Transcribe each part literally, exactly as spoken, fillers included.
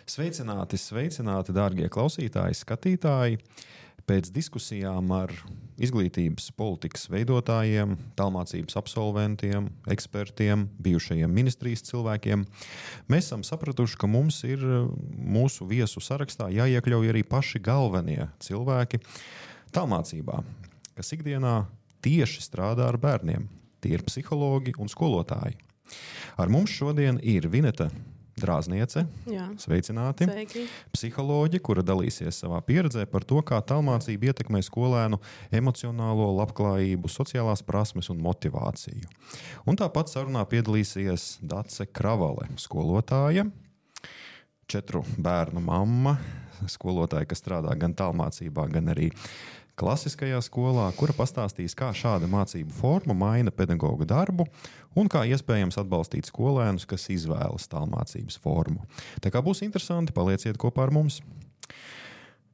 Sveicināti, sveicināti, dārgie klausītāji, skatītāji. Pēc diskusijām ar izglītības politikas veidotājiem, tālmācības absolventiem, ekspertiem, bijušajiem ministrijas cilvēkiem, mēs esam sapratuši, ka mums ir mūsu viesu sarakstā jāiekļauj arī paši galvenie cilvēki tālmācībā, kas ikdienā tieši strādā ar bērniem. Tie ir psihologi un skolotāji. Ar mums šodien ir Vineta Drāzniece, Jā. Sveicināti, Sveiki. Psiholoģi, kura dalīsies savā pieredzē par to, kā tālmācība ietekmē skolēnu emocionālo labklājību, sociālās prasmes un motivāciju. Un tāpat sarunā piedalīsies Dace Kravale, skolotāja, četru bērnu mamma, skolotāja, kas strādā gan tālmācībā, gan arī klasiskajā skolā, kura pastāstīs, kā šāda mācību forma maina pedagoga darbu un kā iespējams atbalstīt skolēnus, kas izvēlas tālmācības formu. Tā kā būs interesanti, palieciet kopā ar mums.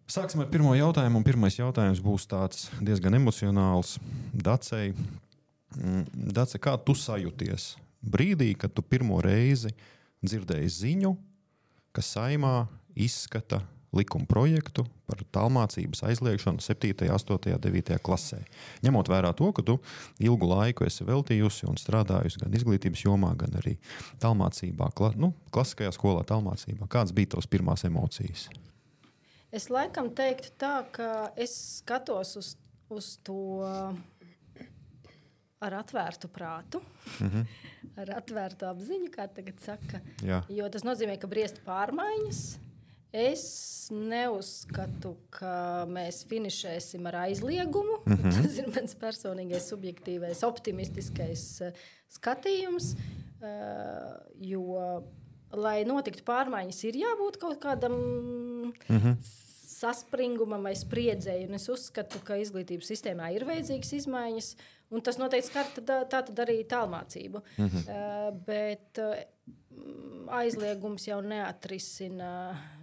Sāksim ar pirmo jautājumu, un pirmais jautājums būs tāds diezgan emocionāls. Dacei, Dace, kā tu sajūties brīdī, kad tu pirmo reizi dzirdēji ziņu, ka Saeimā izskata likuma projektu par tālmācības aizliegšanu septītajā, astotajā, devītajā klasē. Ņemot vērā to, ka tu ilgu laiku esi veltījusi un strādājusi gan izglītības jomā, gan arī tālmācībā, kla, nu, klasiskajā skolā tālmācībā. Kāds bija tavas pirmās emocijas? Es laikam teiktu tā, ka es skatos uz, uz to ar atvērtu prātu, mm-hmm. ar atvērtu apziņu, kā tagad saka. Jā. Jo tas nozīmē, ka briest pārmaiņas. Es neuzskatu, ka mēs finišēsim ar aizliegumu. Mm-hmm. Tas ir mans personīgais, subjektīvais, optimistiskais skatījums. Jo, lai notiktu pārmaiņas, ir jābūt kaut kādam mm-hmm. saspringumam vai spriedzēji. Un es uzskatu, ka izglītības sistēmā ir vajadzīgas izmaiņas. Un tas noteikti skar tā tad arī tālmācību. Mm-hmm. Bet aizliegums jau neatrisina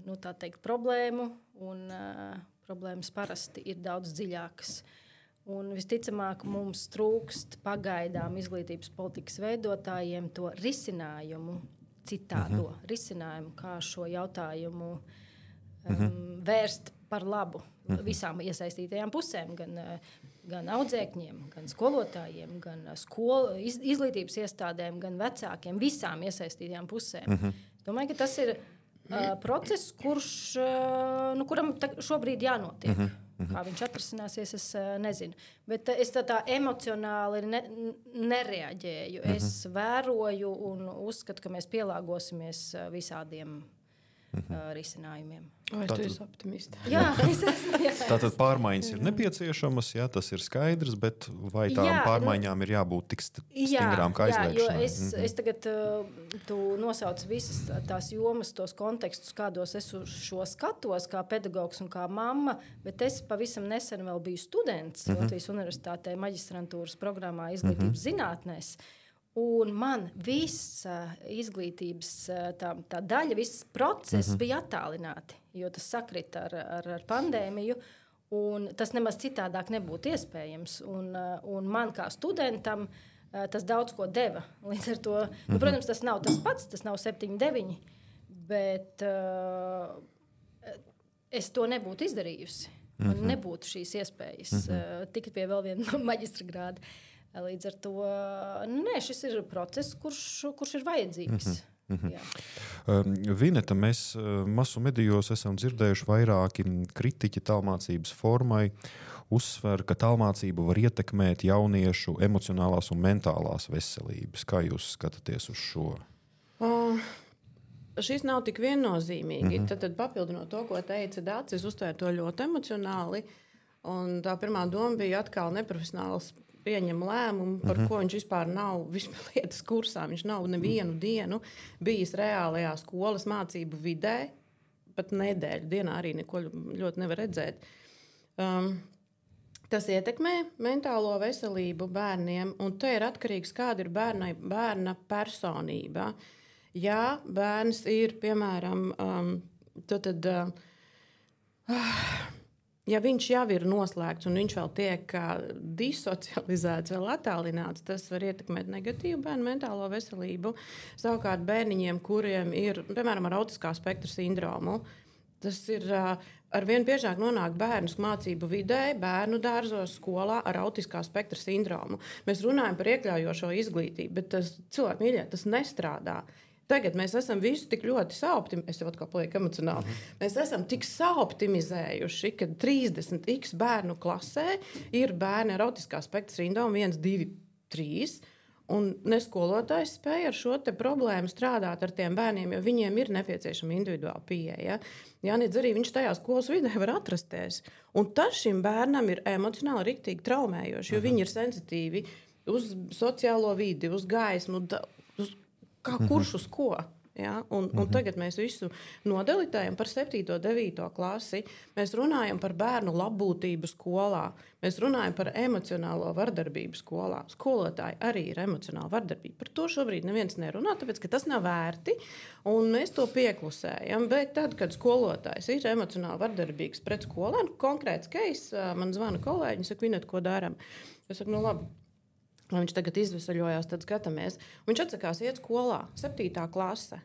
nu, tā teikt, problēmu, un uh, problēmas parasti ir daudz dziļākas. Un visticamāk mums trūkst pagaidām izglītības politikas veidotājiem to risinājumu, citādo uh-huh. risinājumu, kā šo jautājumu um, uh-huh. vērst par labu uh-huh. visām iesaistītajām pusēm, gan, gan audzēkņiem, gan skolotājiem, gan skolu, iz, izglītības iestādēm, gan vecākiem, visām iesaistītajām pusēm. Uh-huh. Domāju, ka tas ir uh, process, kurš, uh, nu, kuram ta, šobrīd jānotiek. Uh-huh. Uh-huh. Kā viņš atrisināsies, es uh, nezinu. Bet uh, es tā, tā emocionāli ne, nereaģēju. Uh-huh. Es vēroju un uzskatu, ka mēs pielāgosimies uh, visādiem uh, risinājumiem. Vai tu esi optimista? Jā, es esmu. Jā. Tātad pārmaiņas ir nepieciešamas, jā, tas ir skaidrs, bet vai tām jā, pārmaiņām nu, ir jābūt tik stingrām kā aizliegšanai? Jā, jo es, mm-hmm. es tagad, tu nosauc visas tās jomas, tos kontekstus, kādos es uz šo skatos, kā pedagogs un kā mamma, bet es pavisam nesen vēl biju students mm-hmm. Latvijas Universitātē maģistrantūras programmā izglītības mm-hmm. zinātnēs. Un man visa izglītības tā, tā daļa, viss process uh-huh. bija attālināti, jo tas sakrita ar, ar, ar pandēmiju, un tas nemaz citādāk nebūtu iespējams. Un, un man kā studentam tas daudz ko deva. Līdz ar to, uh-huh. nu, protams, tas nav tas pats, tas nav septiņi, deviņi, bet uh, es to nebūtu izdarījusi. Man uh-huh. nebūtu šīs iespējas uh-huh. uh, tikt pie vēl viena maģistra grāda. Līdz ar to nē, šis ir process, kurš, kurš ir vajadzīgs. Mm-hmm. Jā. Vineta, mēs masu medijos esam dzirdējuši vairāki kritiķi tālmācības formai, uzsver, ka tālmācība var ietekmēt jauniešu emocionālās un mentālās veselības. Kā jūs skatāties uz šo? Uh, šis nav tik viennozīmīgi. Mm-hmm. Tad, tad papildinot to, ko teica Dace, es uztvēru to ļoti emocionāli. Un tā pirmā doma bija atkal neprofesionāls pieņem lēmumu, par uh-huh. ko viņš vispār nav vispār lietas kursā. Viņš nav nevienu dienu bijis reālajā skolas mācību vidē, pat nedēļu dienā arī neko ļoti nevar redzēt. Um, tas ietekmē mentālo veselību bērniem, un te ir atkarīgs, kāda ir bērna, bērna personība. Ja bērns ir, piemēram, um, tad, tad, uh, Ja viņš jau ir noslēgts un viņš vēl tiek disocializēts, vēl attālināts, tas var ietekmēt negatīvu bērnu mentālo veselību. Savukārt bērniņiem, kuriem ir, piemēram, ar autiskā spektra sindromu, tas ir arvien biežāk nonāk bērnus mācību vidē, bērnu dārzos, skolā ar autiskā spektra sindromu. Mēs runājam par iekļaujošo izglītību, bet tas cilvēki mīļie, tas nestrādā. Tagad mēs esam visu tik ļoti saoptimizējuši, es jau atkal palieku emocionāli, mm-hmm. mēs esam tik saoptimizējuši, ka trīsdesmit x bērnu klasē ir bērni ar autiskā spektra sindromu viens, divi, trīs, un ne skolotājs spēja ar šo te problēmu strādāt ar tiem bērniem, jo viņiem ir nepieciešama individuāla pieeja. Jā, nedz arī viņš tajā skolas vidē var atrasties. Un tas šim bērnam ir emocionāli riktīgi traumējoši, jo mm-hmm. viņi ir sensitīvi uz sociālo vidi, uz gaismu, uz kā kurš uz ko. Ja? Un, un tagad mēs visu nodelitējam par septīto, devīto klasi. Mēs runājam par bērnu labbūtību skolā. Mēs runājam par emocionālo vardarbību skolā. Skolotāji arī ir emocionāla vardarbība. Par to šobrīd neviens nerunā, tāpēc, ka tas nav vērti, un mēs to pieklusējam. Bet tad, kad skolotājs ir emocionāli vardarbīgs pret skolēnu, konkrēts case, man zvana kolēģi, saka, Vineta, ko daram? Es saku, nu labi. Viņš tagad izvesaļojās, tad skatāmies. Viņš atsakās iet skolā, septītā klase.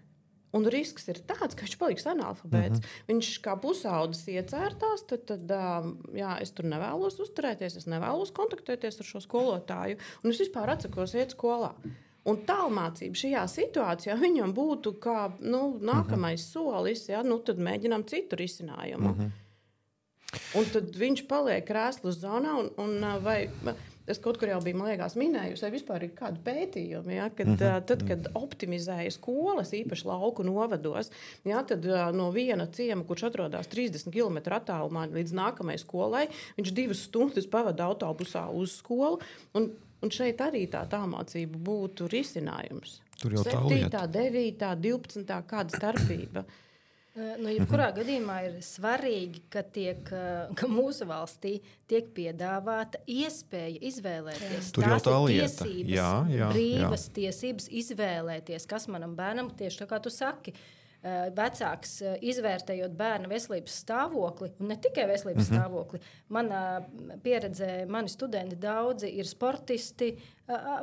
Un risks ir tāds, ka viņš paliks analfabēts. Mm-hmm. Viņš kā pusaudzis iecērtās, tad, tad jā, es tur nevēlos uzturēties, es nevēlos kontaktēties ar šo skolotāju, un es vispār atsakos iet skolā. Un tālmācība šajā situācijā viņam būtu kā nu, nākamais mm-hmm. solis, ja, nu, tad mēģinām citu risinājumu. Mm-hmm. Un tad viņš paliek krēslu zonā, un, un vai... Es kaut kur jau biju, man liekas, minējusi, vai vispār ir kādu pētījumu, ja, kad, mm-hmm. tad, kad optimizēja skolas, īpaši lauku novados, ja, tad no viena ciema, kurš atrodas trīsdesmit kilometru attālumā līdz nākamajai skolai, viņš divas stundas pavada autobusā uz skolu, un, un šeit arī tā tālmācība būtu risinājums. Tur jau tā lieta. septītā, devītā, divpadsmitā kāda starpība. Nu, jebkurā mm-hmm. gadījumā ir svarīgi, ka, tiek, ka mūsu valstī tiek piedāvāta iespēja izvēlēties. Tur jau Tās tā ir lieta. tiesības, Jā, jā, brīvas jā. tiesības izvēlēties, kas manam bērnam, tieši tā kā tu saki, vecāks izvērtējot bērna veselības stāvokli, un ne tikai veselības mm-hmm. stāvokli. Manā pieredzē, mani studenti daudzi ir sportisti,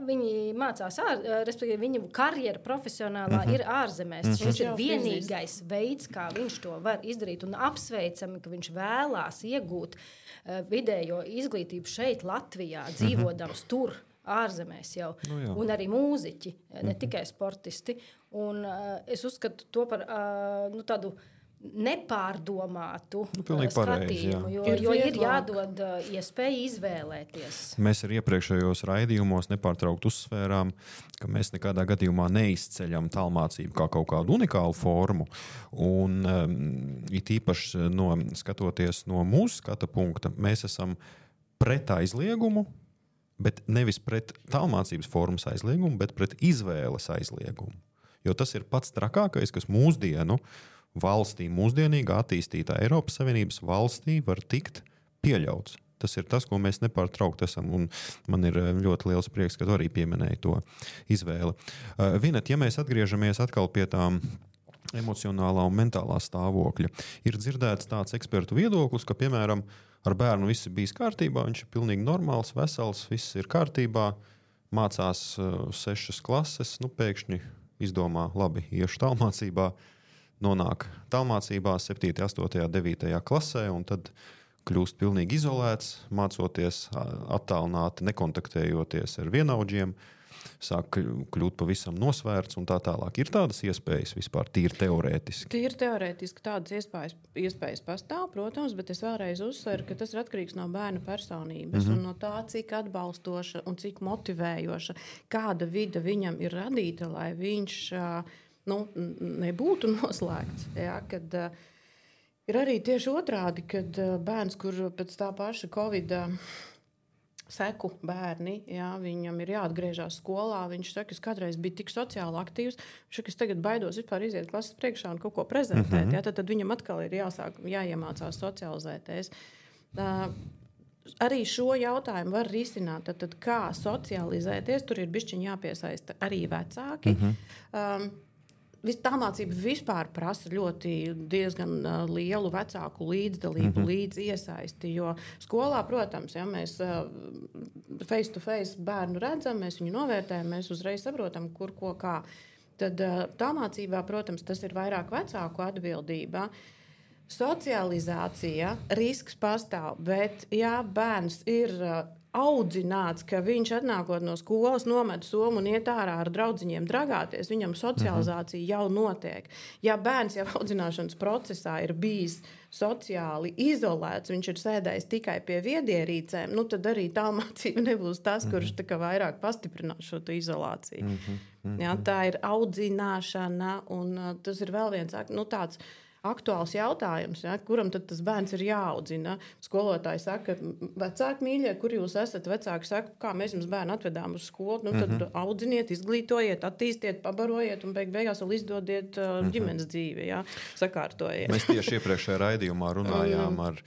viņi mācās, ār, respektīvi viņu karjera profesionālā mm-hmm. ir ārzemēs. Mm-hmm. Viņš ir vienīgais veids, kā viņš to var izdarīt, un apsveicami, ka viņš vēlās iegūt vidējo izglītību šeit Latvijā, dzīvodams mm-hmm. tur. Ārzemēs jau, nu, un arī mūziķi, ne mm-hmm. tikai sportisti. Un, uh, es uzskatu to par uh, nu, tādu nepārdomātu nu, uh, skatījumu, pareizi, jā. jo, ir, jo ir jādod uh, iespēja izvēlēties. Mēs ar iepriekšējos raidījumos nepārtraukt uzsvērām, ka mēs nekādā gadījumā neizceļam tālmācību kā kaut kādu unikālu formu. Un um, it īpaši no, skatoties no mūsu skata punkta, mēs esam pret aizliegumu, bet nevis pret tālmācības formas aizliegumu, bet pret izvēles aizliegumu. Jo tas ir pats trakākais, kas mūsdienu valstī, mūsdienīgā attīstītā Eiropas Savienības valstī var tikt pieļauts. Tas ir tas, ko mēs nepārtraukt esam, un man ir ļoti liels prieks, ka tu arī pieminēji to izvēli. Uh, Vinet, ja mēs atgriežamies atkal pie tām emocionālā un mentālā stāvokļa, ir dzirdēts tāds ekspertu viedoklis, ka, piemēram, ar bērnu viss ir bijis kārtībā, viņš ir pilnīgi normāls, vesels, viss ir kārtībā, mācās uh, sešas klases, nu pēkšņi izdomā, labi, iešu tālmācībā, nonāk tālmācībā septītajā, astotajā, devītajā klasē, un tad kļūst pilnīgi izolēts, mācoties attālināti, nekontaktējoties ar vienaudžiem, sāk kļūt pavisam nosvērts un tā tālāk. Ir tādas iespējas vispār tīri teorētiski? Tīri teorētiski tādas iespējas, iespējas pastāv, protams, bet es vēlreiz uzsveru, ka tas ir atkarīgs no bērna personības mm-hmm. un no tā, cik atbalstoša un cik motivējoša, kāda vida viņam ir radīta, lai viņš nu, nebūtu noslēgts. Ja, kad, ir arī tieši otrādi, kad bērns, kur pēc tā paša Covid seku bērni, jā, viņam ir jāatgriežās skolā, viņš saka, es kādreiz biju tik sociāli aktīvs, viņš saka, es tagad baidos vispār iziet klases priekšā un kaut ko prezentēt, mm-hmm. jā, tad, tad viņam atkal ir jāsāk, jāiemācās socializēties. Uh, arī šo jautājumu var risināt, tad, tad kā socializēties, tur ir bišķiņ jāpiesaista arī vecāki. Mm-hmm. Um, tālmācība vispār prasa ļoti diezgan uh, lielu vecāku līdzdalību, mm-hmm. līdz iesaisti, jo skolā, protams, ja mēs uh, face to face bērnu redzam, mēs viņu novērtējam, mēs uzreiz saprotam, kur, ko, kā. Tad uh, tālmācībā, protams, tas ir vairāk vecāku atbildība. Socializācija, risks pastāv, bet ja bērns ir uh, audzināts, ka viņš atnākot no skolas nomet somu un iet ārā ar draudziņiem dragāties, viņam socializācija mm-hmm. jau notiek. Ja bērns jau audzināšanas procesā ir bijis sociāli izolēts, viņš ir sēdējis tikai pie viedierīcēm, nu tad arī tālmācība nebūs tas, mm-hmm. kurš tā kā vairāk pastiprinās šo izolāciju. Mm-hmm. Ja, tā ir audzināšana, un uh, tas ir vēl viens nu, tāds aktuāls jautājums, ja, kuram tad tas bērns ir jāaudzina. Skolotāji saka, vecāki mīļie, kur jūs esat? Vecāki saka, kā mēs jums bērnu atvedām uz skolu, nu tad mm-hmm. audziniet, izglītojiet, attīstiet, pabarojiet un beig beigās vēl izdodiet uh, mm-hmm. ģimenes dzīvi, ja, sakārtojiet. Mēs tieši iepriekšējā raidījumā runājām ar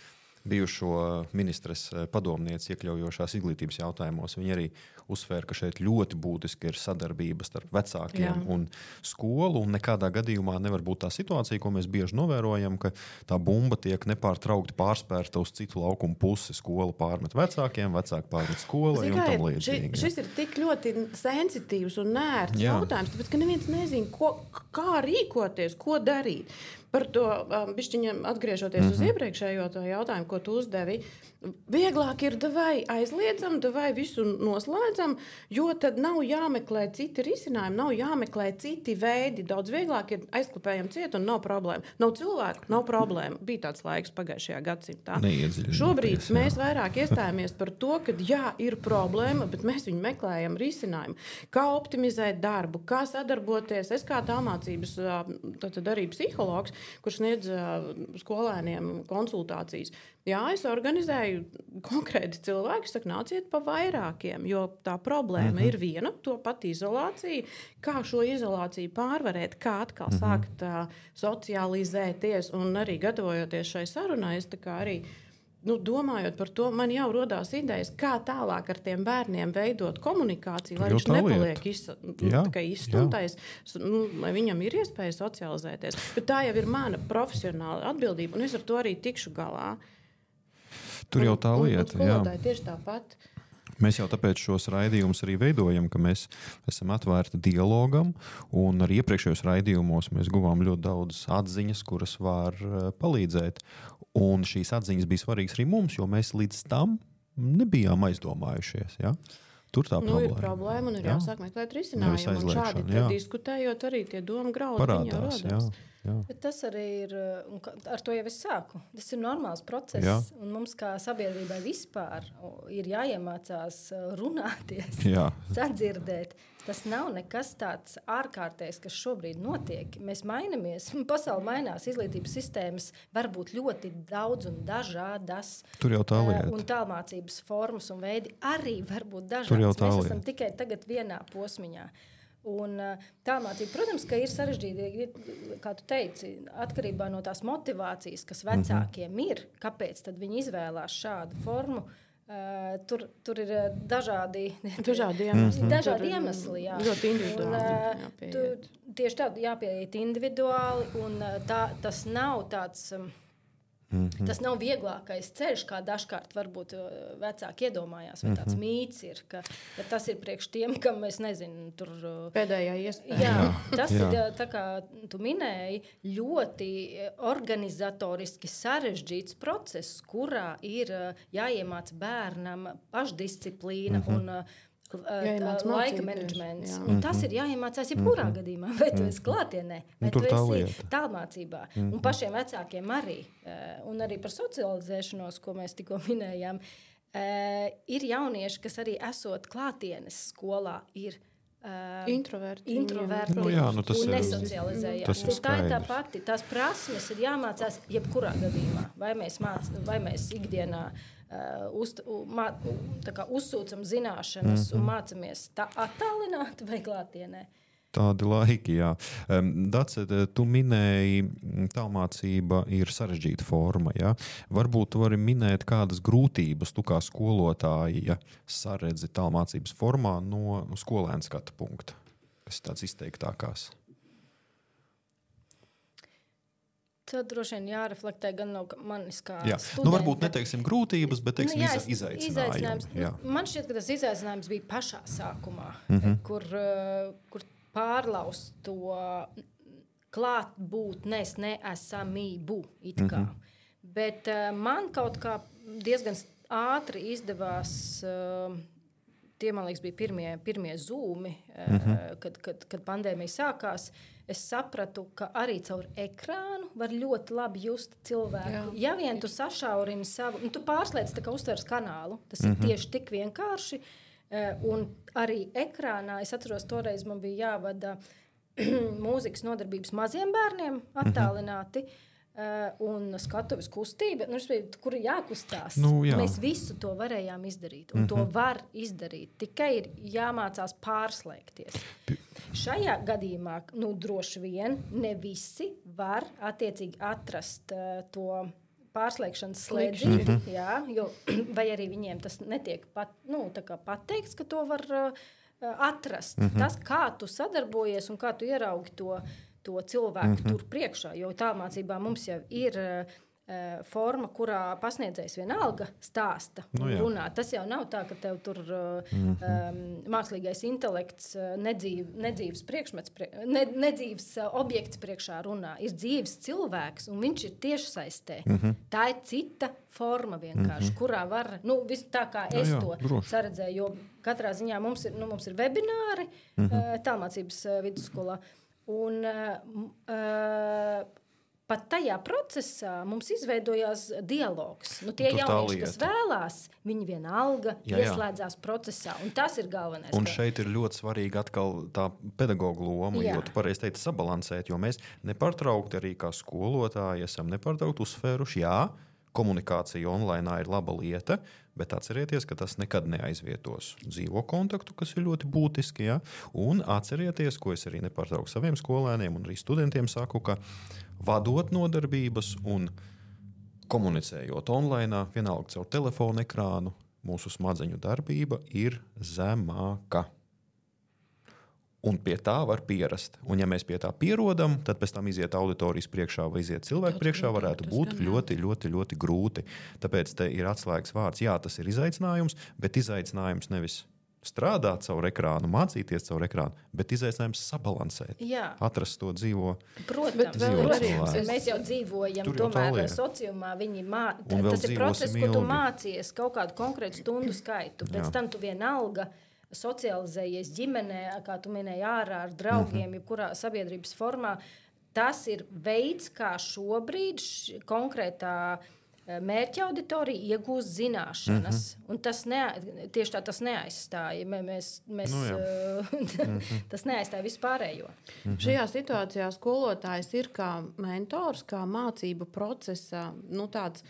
bijušo ministres padomnieci iekļaujošās izglītības jautājumos. Viņi arī uzsvēra, ka šeit ļoti būtiski ir sadarbība starp vecākiem Jā. Un skolu, un nekādā gadījumā nevar būt tā situācija, ko mēs bieži novērojam, ka tā bumba tiek nepārtraukti pārspērta uz citu laukumu pusi. Skola pārmet vecākiem, vecāki pārmet skolai un tam līdzīgi. Ši, šis ir tik ļoti sensitīvs un nērts Jā. Jautājums, tāpēc, ka neviens nezina, ko, kā rīkoties, ko darīt. Par to um, bišķiņam atgriežoties mm-hmm. uz iepriekšējo jautājumu, ko tu uzdevi, vieglāk ir davai aizliedzam, davai visu noslēdzam, jo tad nav jāmeklē citi risinājumi, nav jāmeklē citi veidi. Daudz vieglāk ir aizklapējam ciet un nav problēma. Nav cilvēku, nav problēma. Bija tāds laiks pagājušajā gadsimtā. Šobrīd jā. Mēs vairāk iestājamies par to, ka jā, ir problēma, bet mēs viņu meklējam risinājumu. Kā optimizēt darbu, kā sadarboties. Es kā tālmācības, tad arī psihologs, kurš sniedz skolēniem konsultācijas. Jā, es organizēju konkrēti cilvēki, saka, nāciet pa vairākiem, jo tā problēma mm-hmm. ir viena, to pat izolācija. Kā šo izolāciju pārvarēt, kā atkal mm-hmm. sākt uh, socializēties un arī gatavojoties šai sarunai, es tā kā arī nu, domājot par to, man jau rodās idejas, kā tālāk ar tiem bērniem veidot komunikāciju, lai viņš nepaliek iz, jā, izstumtais, nu, lai viņam ir iespēja socializēties. Bet tā jau ir mana profesionāla atbildība, un es ar to arī tikšu galā. Tur jau tā lieta, un, un jā. Tieši tāpat. Mēs jau tāpēc šos raidījumus arī veidojam, ka mēs esam atvērti dialogam, un arī iepriekšējos raidījumos mēs guvām ļoti daudz atziņas, kuras var palīdzēt. Un šīs atziņas bija svarīgas arī mums, jo mēs līdz tam nebijām aizdomājušies. Ja? Tur tā nu, problēma. Ir problēma un ir jā. Jāsāk meklēt risinājumu. Un šādi diskutējot arī tie doma graudi parādās. Jā, jā. Bet tas arī ir, un ar to jau es sāku, tas ir normāls process, jā. Un mums kā sabiedrībai vispār ir jāiemācās runāties, jā. Sadzirdēt. Tas nav nekas tāds ārkārtējs, kas šobrīd notiek. Mēs mainamies, pasaule mainās, izglītības sistēmas var būt ļoti daudz un dažādas. Tur jau tā lieta. Un tālmācības formas un veidi arī var būt dažādas. Mēs esam tikai tagad vienā posmiņā. Un tālmācība, protams, ka ir sarežģīti, kā tu teici, atkarībā no tās motivācijas, kas vecākiem mm-hmm. ir, kāpēc tad viņi izvēlās šādu formu. Uh, tur, tur ir dažādi, dažādi iemesli. Dažādi iemesli jā. Ļoti individuāli. Un, uh, tu, tieši tā, jāpieiet individuāli, un uh, tā, tas nav tāds... Um, Mm-hmm. Tas nav vieglākais ceļš, kā dažkārt varbūt vecāki iedomājās, vai tāds mm-hmm. mīts ir, ka, ka tas ir priekš tiem, kam mēs nezinu, tur... Pēdējā iespēja. Jā, tas jā. Ir, tā kā tu minēji, ļoti organizatoriski sarežģīts process, kurā ir jāiemāc bērnam pašdisciplīna mm-hmm. un Jāiemāc laika menedžments. Jā. Tas ir jāiemācās jebkurā mm-hmm. gadījumā. Vai tu esi klātienē, vai tu esi tālmācībā. Mm-hmm. Un pašiem vecākiem arī. Un arī par socializēšanos, ko mēs tikko minējām. Ir jaunieši, kas arī esot klātienes skolā, ir introverti, introverti nu, jā, nu, un nesocializējās. Tā ir tā pati. Tās prasmes ir jāmācās jebkurā gadījumā. Vai mēs, māc, vai mēs ikdienā Uh, uz, mā, tā kā uzsūcam zināšanas mm-hmm. un mācamies tā attālināti vai klātienē. Tādi laiki, jā. Um, Dace, tu minēji, tālmācība ir sarežģīta forma, jā. Varbūt tu vari minēt kādas grūtības tu kā skolotāji, ja saredzi tālmācības formā no skolēna skatu punkta, kas ir tāds izteiktākās. Tad droši vien jāreflektē gan no manis kā jā. studenta. Nu, varbūt neteiksim grūtības, bet teiksim, nu, jā, izaicinājumi. izaicinājums. Jā. Man šķiet, ka tas izaicinājums bija pašā sākumā, Mhm. kur, uh, kur pārlaust to klātbūtnes neesamību it kā. Mhm. Bet uh, man kaut kā diezgan ātri izdevās, uh, tie, man liekas, bija pirmie, pirmie zūmi, uh, Mhm. kad, kad, kad pandēmija sākās. Es sapratu, ka arī caur ekrānu var ļoti labi just cilvēku. Jā. Ja vien tu sašaurini savu, nu, tu pārslēdz tā kā uztveres kanālu, tas mm-hmm. ir tieši tik vienkārši. Un arī ekrānā, es atceros, toreiz man bija jāvada mūzikas nodarbības maziem bērniem attālināti. Mm-hmm. Uh, un skatuves kustība, nu, kur ir jākustās. Nu, jā. Mēs visu to varējām izdarīt, un mm-hmm. to var izdarīt. Tikai ir jāmācās pārslēgties. P- Šajā gadījumā, nu, droši vien, ne visi var attiecīgi atrast uh, to pārslēgšanas slēdziņu, mm-hmm. jā, jo, vai arī viņiem tas netiek pat, nu, tā kā pateikts, ka to var uh, atrast. Mm-hmm. Tas, kā tu sadarbojies un kā tu ieraugi to to cilvēku mm-hmm. tur priekšā, jo tālmācībā mums jau ir uh, forma, kurā pasniedzējs vienalga stāsta un nu, runā. Tas jau nav tā, ka tev tur uh, mm-hmm. um, mākslīgais intelekts uh, nedzīv, nedzīvs priekšmets, prie, ne, nedzīvs uh, objekts priekšā runā. Ir dzīves cilvēks, un viņš ir tiešsaistē. Mm-hmm. Tā ir cita forma vienkārši, mm-hmm. kurā var, nu, visu tā kā es jā, jā, to droši. saredzēju, jo katrā ziņā mums ir, nu, mums ir webināri mm-hmm. uh, tālmācības uh, vidusskolā. Un uh, uh, pat tajā procesā mums izveidojās dialogs. Nu, tie jaunieši, kas vēlās, viņi vienalga jā, jā. ieslēdzās procesā. Un tas ir galvenais. Un šeit ir ļoti svarīgi atkal tā pedagoga loma, jā. jo tu pareizi teici sabalansēt, jo mēs nepārtraukti arī kā skolotāji esam nepārtraukti uzsvēruši, jā, komunikācija online ir laba lieta, bet atcerieties, ka tas nekad neaizvietos dzīvo kontaktu, kas ir ļoti būtiski. Ja? Un atcerieties, ko es arī nepārtraukti saviem skolēniem un arī studentiem saku, ka vadot nodarbības un komunicējot online, vienalga caur telefonu ekrānu, mūsu smadzeņu darbība ir zemāka. Un pie tā var pierast. Un ja mēs pie tā pierodam, tad pēc tam iziet auditorijas priekšā vai iziet cilvēku priekšā varētu būt ļoti, ļoti, ļoti grūti. Tāpēc te ir atslēgas vārds. Jā, tas ir izaicinājums, bet izaicinājums nevis strādāt caur ekrānu, mācīties caur ekrānu, bet izaicinājums sabalansēt. Jā. Atrast to dzīvo. Protams, protams. Mēs jau dzīvojam Tur tomēr sociumā. Viņi mā... Tas ir process, ko tu mācies kaut kādu konkrētu stundu skaitu. Pēc Jā. tam tu vienalga socializējies ģimenē, kā tu minēji, ārā ar draugiem, mm-hmm. jebkurā sabiedrības formā. Tas ir veids, kā šobrīd š, konkrētā mērķa auditorija iegūst zināšanas. Mm-hmm. Un tas ne, tieši tā tas neaizstāja. Mēs, mēs, nu, mm-hmm. tas neaizstāja vispārējo. Mm-hmm. Šajā situācijā skolotājs ir kā mentors, kā mācību procesa, nu tāds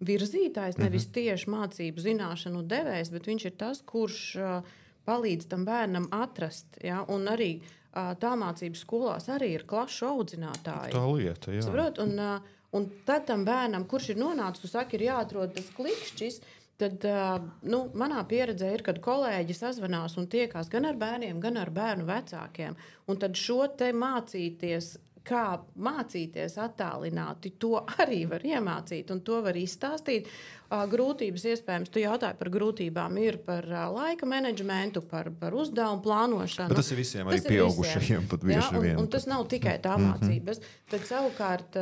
virzītājs, nevis tieši mācību zināšanu devējs, bet viņš ir tas, kurš uh, palīdz tam bērnam atrast. Ja? Un arī uh, tālmācības skolās arī ir klašu audzinātāji. Tā lieta, jā. Saprot? Un, uh, un tad tam bērnam, kurš ir nonācis, tu saki, ir jāatrod tas klikšķis, tad uh, nu, manā pieredzē ir, kad kolēģi sazvanās un tiekās gan ar bērniem, gan ar bērnu vecākiem. Un tad šo te mācīties, kā mācīties attālināti, to arī var iemācīt un to var izstāstīt. Grūtības iespējams, tu jautāji par grūtībām, ir par laika menedžmentu, par, par uzdevumu plānošanu. Bet tas ir visiem arī pieaugušajiem pat bieži vien. Un, un tas nav tikai tā mācības. Mm-hmm. Tad savukārt,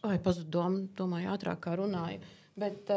oi, pazudu dom, domāju ātrāk kā runāju, bet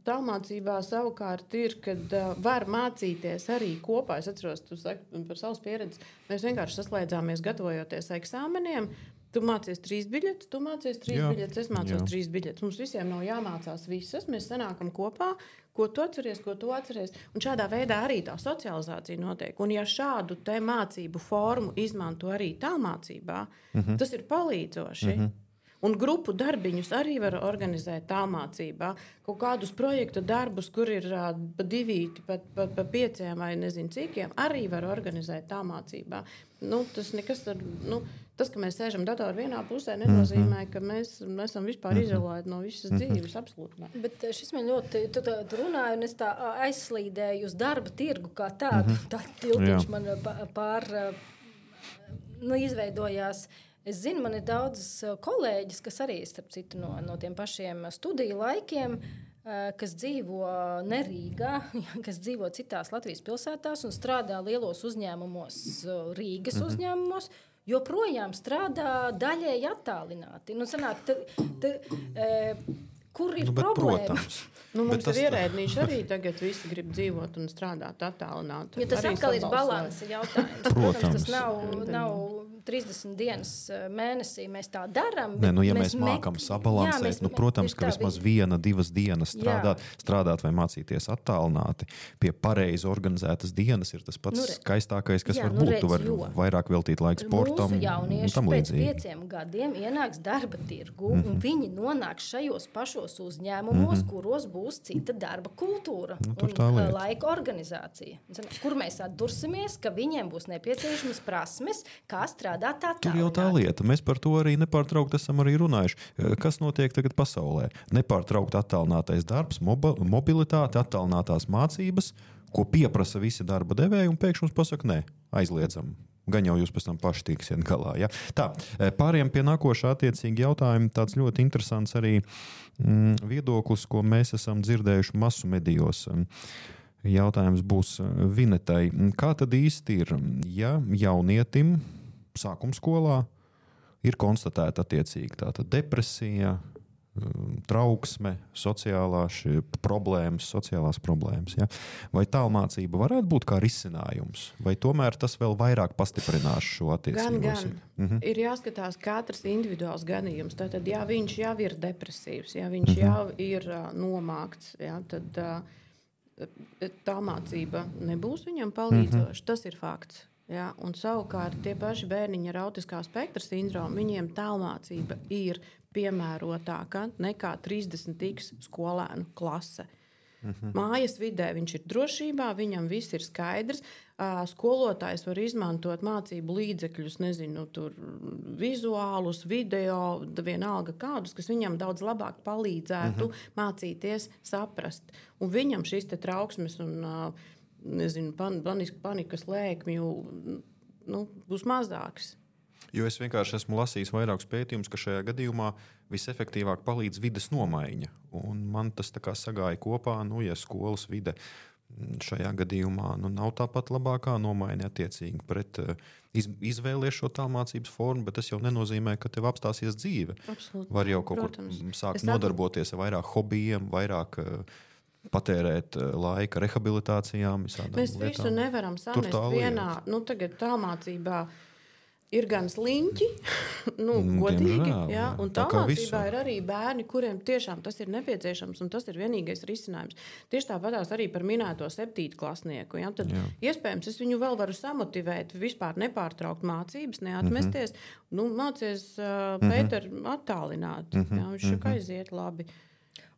tālmācībā savukārt ir, kad var mācīties arī kopā. Es atceros, tu saki par savas pieredzes, mēs vienkārši saslēdzāmies gatavojoties eksāmeniem. Tu mācies trīs biļetes, tu mācies trīs jā, biļetes, es mācos jā. trīs biļetes. Mums visiem nav jāmācās visas, mēs sanākam kopā, ko tu atceries, ko tu atceries. Un šādā veidā arī tā socializācija notiek. Un ja šādu te mācību formu izmanto arī tālmācībā, mm-hmm. tas ir palīdzoši. Mm-hmm. Un grupu darbiņus arī var organizēt tālmācībā. Kaut kādus projektu darbus, kur ir uh, pa divīti, pa, pa, pa pieciem vai nezinu cikiem, arī var organizēt tālmācībā. Nu, tas, nekas ar, nu, tas, ka mēs sēžam datoru vienā pusē, nenozīmē, ka mēs esam vispār izolēti no visas dzīves. Absolūti. Bet šis man ļoti, tu, tu runāji, un es tā aizslīdēju uz darba tirgu kā tādu. Tā tiltiņš man pār, nu, izveidojās. Es zinu, man ir daudzas kolēģis, kas arī starp citu no, no tiem pašiem studiju laikiem, kas dzīvo ne Rīgā, kas dzīvo citās Latvijas pilsētās un strādā lielos uzņēmumos, Rīgas mm-hmm. uzņēmumos, joprojām strādā daļēji attālināti. Nu, sanāk, ta, ta, e, kur ir nu, problēma? Protams. Nu, mums ir ierēdnīši arī tagad visi grib dzīvot un strādāt attālināti. Jo tas arī atkal ir balansa jautājums. Protams, tas nav, nav trīsdesmit dienas mēnesī mēs tā darām. Nē, nu, ja mēs, mēs mākam mek... sabalansēt, jā, mēs, nu, protams, ka vismaz viena, divas dienas strādāt, strādāt vai mācīties attālināti pie pareizi organizētas dienas ir tas pats nu, skaistākais, kas jā, var būt. Nu, redz, tu var jo. vairāk veltīt laiku sportam. Mūsu jaunieši pēc pieciem gadiem ienāks darba tirgu mm-hmm. un viņi nonāks šajos pašos uzņēmumos, mm-hmm. kuros būs cita darba kultūra nu, un laika organizācija. Kur mēs atdursimies, ka viņiem būs nepieciešamas prasmes, kā strādāt. Tur jau tā lieta. Mēs par to arī nepārtraukti esam arī runājuši. Kas notiek tagad pasaulē? Nepārtraukti attālinātais darbs, mobilitāte, attālinātās mācības, ko pieprasa visi darba devēji, un pēkšņi mums pasaka, nē, aizliedzam. Gan jau jūs pēc tam paši tiksiet galā. Ja? Tā, pāriem pie nākošā attiecīgi jautājuma, tāds ļoti interesants arī mm, viedoklis, ko mēs esam dzirdējuši masu medijos. Jautājums būs Vinetai. Kā tad īsti ir, ja jaunietim sākuma skolā ir konstatēta attiecīgi tātad depresija, trauksme, sociālās problēmas, sociālās problēmas. Ja? Vai tālmācība varētu būt kā risinājums? Vai tomēr tas vēl vairāk pastiprinās šo attiecību? Gan, gan. Mhm. Ir jāskatās katrs individuāls gadījums. Tātad, ja viņš jau ir depresīvs, ja viņš mhm. jau ir uh, nomākts, ja, tad uh, tālmācība nebūs viņam palīdzoša. Mhm. Tas ir fakts. Ja, un savukārt tie paši bērniņi ar autiskā spektra sindromu, viņiem tālmācība ir piemērotāka nekā trīsdesmit x skolēnu klase. Mm-hmm. Mājas vidē viņš ir drošībā, viņam viss ir skaidrs. Skolotājs var izmantot mācību līdzekļus, nezinu, tur vizuālus, video, vienalga kādus, kas viņam daudz labāk palīdzētu mm-hmm. mācīties, saprast. Un viņam šis te trauksmes un nezinu, pan, panikas lēkmju nu, būs mazāks. Jo es vienkārši esmu lasījis vairākus pētījumus, ka šajā gadījumā visefektīvāk palīdz vides nomaiņa. Un man tas tā kā sagāja kopā, nu, ja skolas vide šajā gadījumā nu, nav tāpat labākā nomaiņa attiecīgi pret iz, izvēlies šo tālmācības formu, bet tas jau nenozīmē, ka tev apstāsies dzīve. Absolūti. Var jau kaut Protams. kur sākt es nodarboties ar vairāk hobijiem, vairāk patērēt laika rehabilitācijām. Mēs lietām. Visu nevaram samest vienā. Nu, tagad tālmācībā ir gan sliņķi, nu, godīgi, Diemžēl, jā, un tālmācībā ir arī bērni, kuriem tiešām tas ir nepieciešams, un tas ir vienīgais risinājums. Tieši tāpatās arī par minēto septītklasnieku. Ja? Tad jā. iespējams, es viņu vēl varu samotivēt, vispār nepārtraukt mācības, neatmesties. Mm-hmm. Nu, mācies uh, Pēter mm-hmm. attālināt. Mm-hmm. Jā, viņš mm-hmm. aiziet labi.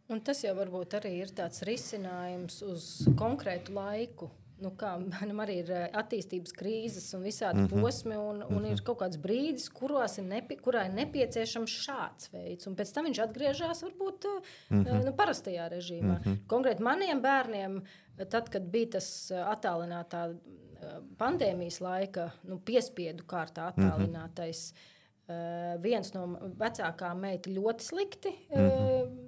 Un tas jau varbūt arī ir tāds risinājums uz konkrētu laiku. Nu, kā manam arī ir attīstības krīzes un visādi mm-hmm. posmi, un, un mm-hmm. ir kaut kāds brīdis, kurās ir nepi, kurā ir nepieciešams šāds veids. Un pēc tam viņš atgriežas varbūt mm-hmm. nu, parastajā režīmā. Mm-hmm. Konkrēti maniem bērniem, tad, kad bija tas attālinātā pandēmijas laika, nu, piespiedu kārtā attālinātais, mm-hmm. viens no vecākām meita ļoti slikti mm-hmm.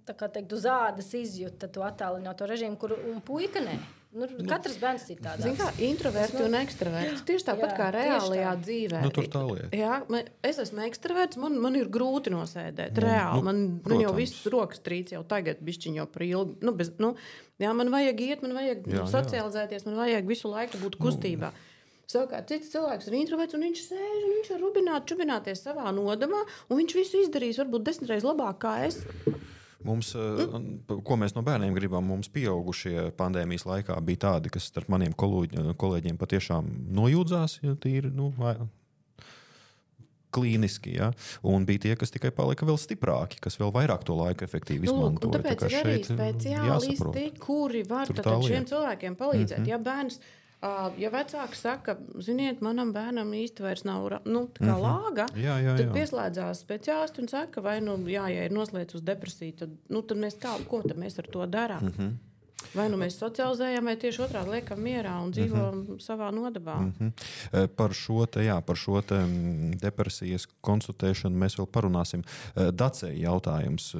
tā kā teikt, uz ādas izjūta to attālināto režīmu, kur un puika nē. Nu, katrs bērns ir tāds. Zin kā, introverti un ekstraverti. Tieši tāpat jā, kā reālajā dzīvē. Nu, tur tā lieta. Jā, man, es esmu ekstraverts, man, man ir grūti nosēdēt. Nu, reāli. Man, man jau viss rokas trīc jau tagad bišķiņ jau par ilgi. Nu, bez, nu, jā, man vajag iet, man vajag jā, socializēties, man vajag visu laiku būt kustībā. Nu. Savukārt cits cilvēks ir introverts, un viņš sēž, un viņš var rubināt, čubināties savā nodamā, un viņš visu izdarīs varbūt desmitreiz labāk kā es. Mums, ko mēs no bērniem gribam, mums pieaugušie pandēmijas laikā bija tādi, kas starp maniem kolēģiem patiešām nojūdzās, ja tīri, nu, klīniski, ja? Un bija tie, kas tikai palika vēl stiprāki, kas vēl vairāk to laiku efektīvi izmantoja. Un tāpēc tā ir arī speciālisti, kuri var tad šiem cilvēkiem palīdzēt. Mm-hmm. Ja bērns Uh, ja vecāki saka, ziniet, manam bērnam īsti vairs nav nu, kā mm-hmm. lāga, jā, jā, jā. tad pieslēdzās speciālisti un saka, vai, nu, jā, ja ir noslēdz uz depresiju, tad, nu, tad mēs kā, ko tad mēs ar to darām? Mm-hmm. Vai nu mēs socializējam, vai tieši otrādi liekam mierā un dzīvojam mm-hmm. savā nodabā. Mm-hmm. Par šo te, jā, par šo te depresijas konsultēšanu mēs vēl parunāsim. Dacei jautājums.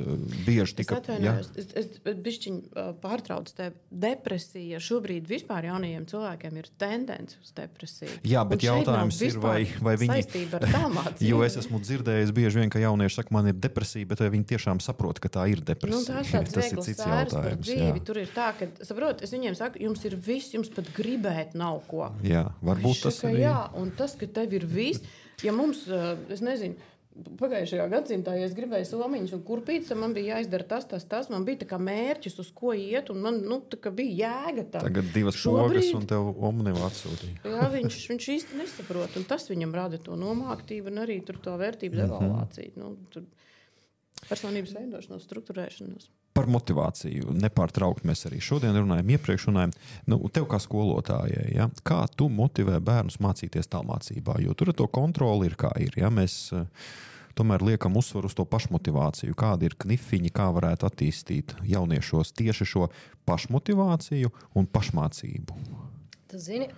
Bieži tika... Es atvainojos, es, es bišķiņ pārtraucu tevi. Depresija šobrīd vispār jaunajiem cilvēkiem ir tendence uz depresiju. Jā, bet jautājums ir, vai, vai viņi... saistība ar tālmācību. Jo es esmu dzirdējis bieži vien, ka jaunieši saka, man ir depresija, bet vai viņi tiešām saprot, ka tā ir depresija. Nu, tas tāds tas ir cits jautājums. Dzīvi, tur ir tā, ka, saprot, es viņiem saku, jums ir viss, jums pat gribēt nav ko. Jā, varbūt tas ir. arī. Jā, un tas, ka tev ir viss, ja mums, es nezinu, pagājušajā gadsimtā, ja es gribēju somiņus un kurpītes, man bija jāizdara tas, tas, tas, man bija tā kā mērķis, uz ko iet, un man, nu, tā kā bija jēga tā. Tagad divas Šobrīd... pogas un tev omnivu atsūtīja. Jā, viņš, viņš īsti nesaprot, un tas viņam rada to nomāktību un arī tur to vērtību devalvāciju. Nu, tur personības veidošanos, strukturēšanos. Par motivāciju nepārtraukt mēs arī šodien runājam, iepriekš runājam. Nu, tev kā skolotājai, ja? Kā tu motivē bērnus mācīties tālmācībā? Jo tur to kontroli ir kā ir. Ja? Mēs uh, tomēr liekam uzsvaru uz to pašmotivāciju. Kādi ir knifiņi, kā varētu attīstīt jauniešos tieši šo pašmotivāciju un pašmācību? Tu zini,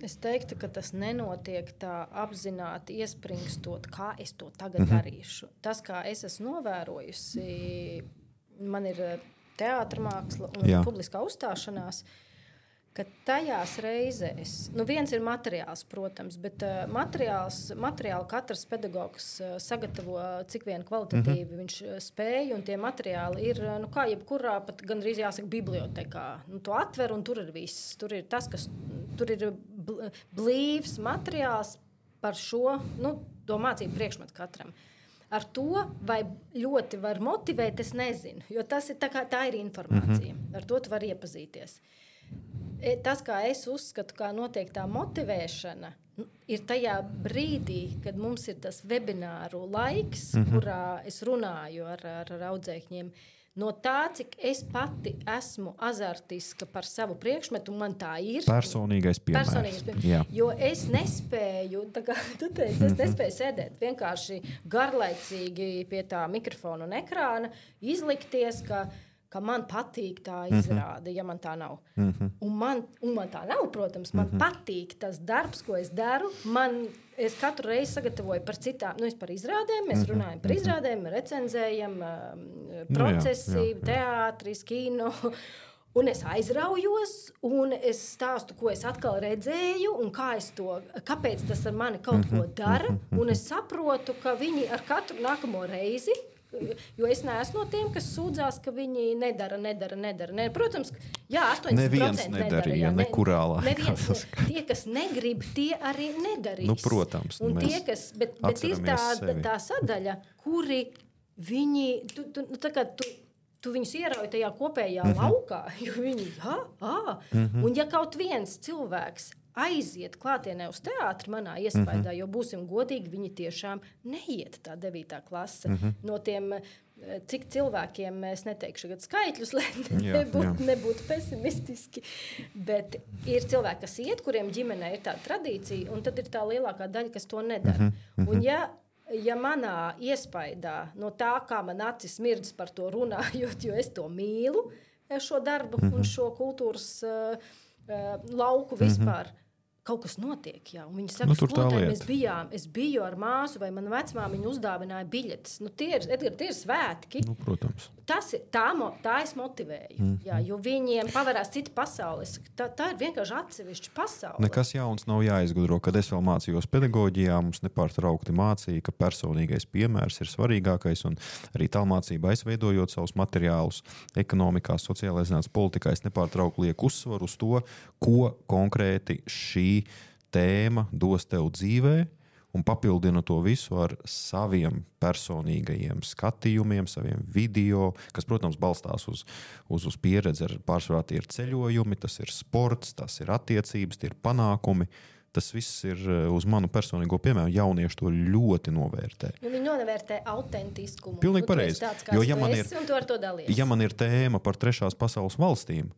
es teiktu, ka tas nenotiek tā apzināti iespringstot, kā es to tagad mm-hmm. darīšu. Tas, kā es esmu novērojusi, man ir teātra māksla un Jā. Publiskā uzstāšanās, ka tajās reizēs, nu viens ir materiāls, protams, bet uh, materiāls, materiālu katrs pedagogs uh, sagatavo cik vien kvalitatīvi mm-hmm. viņš spēj, un tie materiāli ir, nu kā jebkurā, pat gandrīz jāsaka bibliotekā. Nu, to atver, un tur ir viss. Tur ir tas, kas, tur ir blīvs materiāls par šo, nu, to mācību priekšmetu katram. Ar to, vai ļoti var motivēt, es nezinu, jo tas ir tā, kā, tā ir informācija. Mm-hmm. Ar to tu vari iepazīties. Tas, kā es uzskatu, kā notiek tā motivēšana, ir tajā brīdī, kad mums ir tas webināru laiks, mm-hmm. kurā es runāju ar, ar, ar audzēkņiem. No tā, cik es pati esmu azartiska par savu priekšmetu, man tā ir. Personīgais piemērs. Personīgais piemērs. Jo es nespēju, tā kā tu teici, es nespēju sēdēt vienkārši garlaicīgi pie tā mikrofona un ekrāna, izlikties, ka ka man patīk tā izrāde, mm-hmm. ja man tā nav. Mm-hmm. Un, man, un man tā nav, protams, man mm-hmm. patīk tas darbs, ko es daru. Man, es katru reizi sagatavoju par citām, nu es par izrādēm, mēs mm-hmm. runājam par izrādēm, recenzējam, um, procesi, nu, jā, jā, jā. Teātris, kino. Un es aizraujos, un es stāstu, ko es atkal redzēju, un kā es to, kāpēc tas ar mani kaut ko dara. Un es saprotu, ka viņi ar katru nākamo reizi, jo es neesmu no tiem, kas sūdzās, ka viņi nedara, nedara, nedara. Ne, protams, jā, astoņdesmit procenti neviens nedarīja, nedara. Nekurā laikā. Neviens, tie, kas negrib, tie arī nedarīs. Nu, protams. Un tie, kas, bet, bet ir tā, tā sadaļa, kuri viņi, tu, tu, nu, tā kā tu, tu viņus ierauj tajā kopējā mm-hmm. laukā, jo viņi, jā, ā. Mm-hmm. Un ja kaut viens cilvēks aiziet klātienē uz teātri manā iespējā, mm-hmm. jo būsim godīgi, viņi tiešām neiet tā devītā klase. Mm-hmm. No tiem, cik cilvēkiem, es neteikšu gadu skaitļus, lai nebūtu nebūt pesimistiski, bet ir cilvēki, kas iet, kuriem ģimenē ir tā tradīcija, un tad ir tā lielākā daļa, kas to nedara. Mm-hmm. Un ja, ja manā iespējā, no tā, kā man acis mirdz par to runājot, jo es to mīlu, šo darbu mm-hmm. un šo kultūras uh, uh, lauku vispār, mm-hmm. kaut kas notiek, jā. Un viņi saka, nu, skolotāji, mēs bijām, es biju ar māsu, vai mana vecmāmiņa uzdāvināja biļetes. Nu, tie ir, Edgar, tie ir svētki. Nu, protams. Tas ir, tā, tā es motivēju, mm. jā, jo viņiem pavarās cita pasaules. Tā, tā ir vienkārši atsevišķa pasaule. Nekas jauns nav jāizgudro. Kad es vēl mācījos pedagoģijā, mums nepārtraukti mācīja, ka personīgais piemērs ir svarīgākais, un arī tālmācībā aizveidojot savus materiālus ekonomikā, sociālajā zinātnē, politikā, es nepārtraukti lieku uzsvaru uz to, ko konkrēti šī tēma dos tev dzīvē, un papildina to visu ar saviem personīgajiem skatījumiem, saviem video, kas, protams, balstās uz, uz, uz pieredzi. Pārsvarā tie ir ceļojumi, tas ir sports, tas ir attiecības, tie ir panākumi. Tas viss ir uz manu personīgo piemēru. Jaunieši to ļoti novērtē. Nu, viņi novērtē autentiskumu. Pilnīgi pareizi. Jo, ja man ir, un tu ar to dalies. Ja man ir tēma par trešās pasaules valstīm,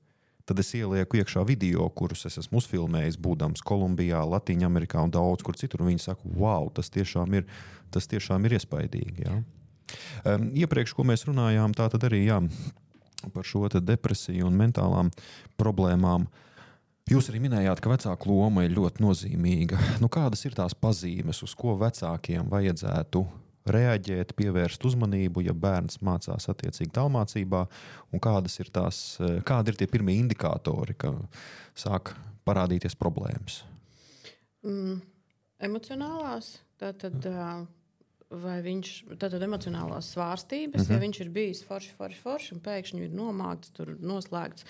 tad es ielieku iekšā video, kurus es esmu uzfilmējis, būdams Kolumbijā, Latīņamerikā un daudz kur citur. Un viņi saka, wow, tas tiešām ir, tas tiešām ir iespaidīgi. Jā. Um, iepriekš, ko mēs runājām, tā tad arī, jā, par šo te depresiju un mentālām problēmām. Jūs arī minējāt, ka vecāku loma ir ļoti nozīmīga. Nu, kādas ir tās pazīmes, uz ko vecākiem vajadzētu reaģēt, pievērst uzmanību, ja bērns mācās attiecīgi tālmācībā, un kādas ir tās, kādi ir tie pirmie indikātori, ka sāk parādīties problēmas? Mm, emocionālās, tātad, vai viņš, tātad emocionālās svārstības, mm-hmm. ja viņš ir bijis forši, forši, forši, un pēkšņi ir nomākts, tur noslēgts.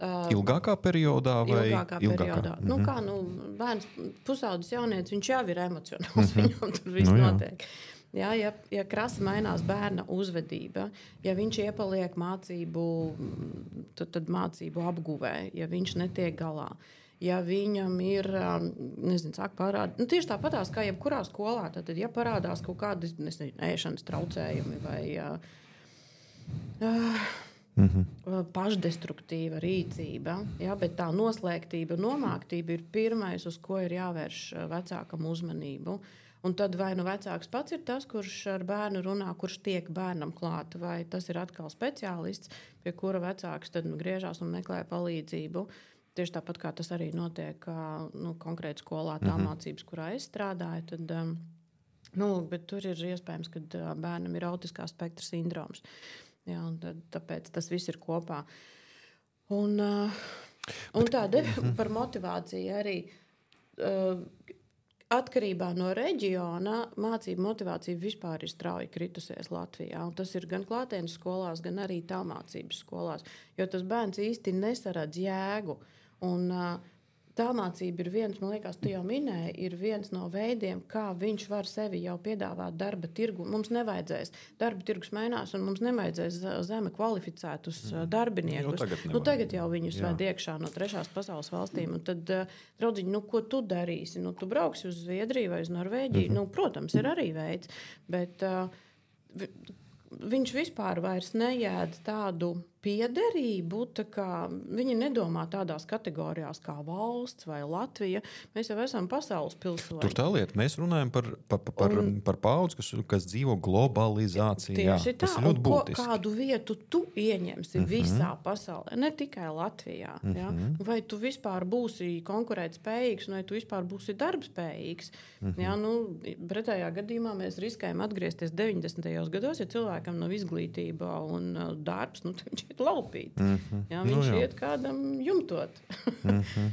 Uh, ilgākā periodā vai ilgākā ilgākā? periodā? Mm-hmm. Nu, kā, nu, bērns, pusaudzis jaunietis, viņš jau ir emocionāls, mm-hmm. viņam tur viss nu, notiek. Jā, ja, ja krasi mainās bērna uzvedība, ja viņš iepaliek mācību, tad, tad mācību apguvē, ja viņš netiek galā, ja viņam ir, nezinu, sāk parādīt, nu, tieši tāpatās kā jebkurā skolā, tad, ja parādās kaut kādi, nezinu, ēšanas traucējumi vai uh, uh, Mm-hmm. pašdestruktīva rīcība, ja, bet tā noslēgtība, nomāktība ir pirmais, uz ko ir jāvērš vecākam uzmanību. Un tad vai nu vecāks pats ir tas, kurš ar bērnu runā, kurš tiek bērnam klāt, vai tas ir atkal speciālists, pie kura vecāks tad nu, griežās un meklē palīdzību. Tieši tāpat kā tas arī notiek nu, konkrēti skolā, tā mm-hmm. mācības, kurā es strādāju, tad, um, nu, bet tur ir iespējams, ka uh, bērnam ir autiskā spektra sindroms. Jā, un tad, tāpēc tas viss ir kopā. Un, uh, un tā de, par motivāciju arī uh, atkarībā no reģiona mācību motivācija vispār ir strauji kritusies Latvijā. Un tas ir gan klātienes skolās, gan arī tālmācības skolās, jo tas bērns īsti nesaredz jēgu. Un, uh, Tālmācība ir viens, man liekas, tu jau minēji, ir viens no veidiem, kā viņš var sevi jau piedāvāt darba tirgu. Mums nevajadzēs, darba tirgus mainās, un mums nevajadzēs zeme kvalificētus darbiniekus. Nu, tagad, nu, tagad jau viņus ved iekšā no trešās pasaules valstīm. Un tad, draudziņi, nu, ko tu darīsi? Nu, tu brauksi uz Zviedriju vai uz Norvēģiju? Mm-hmm. Nu, protams, ir arī veids, bet uh, viņš vispār vairs nejēdz tādu piederību, tā kā viņi nedomā tādās kategorijās kā valsts vai Latvija. Mēs jau esam pasaules pilsoņi. Tur tā lieta, mēs runājam par, par, par, un, par paudzi, kas, kas dzīvo globalizācijā. Tieši tā, tas ir ļoti būtiski. Ko, kādu vietu tu ieņemsi mm-hmm. visā pasaulē, ne tikai Latvijā. Mm-hmm. Ja? Vai tu vispār būsi konkurētspējīgs, vai tu vispār būsi darbspējīgs. Mm-hmm. Ja? Nu, pretējā gadījumā mēs riskējam atgriezties deviņdesmitajos gados, ja cilvēkam nav izglītība un uh, darbs, nu, viņš iet laupīt. Mm-hmm. Ja? Viņš nu, iet kādam jumtot. mm-hmm.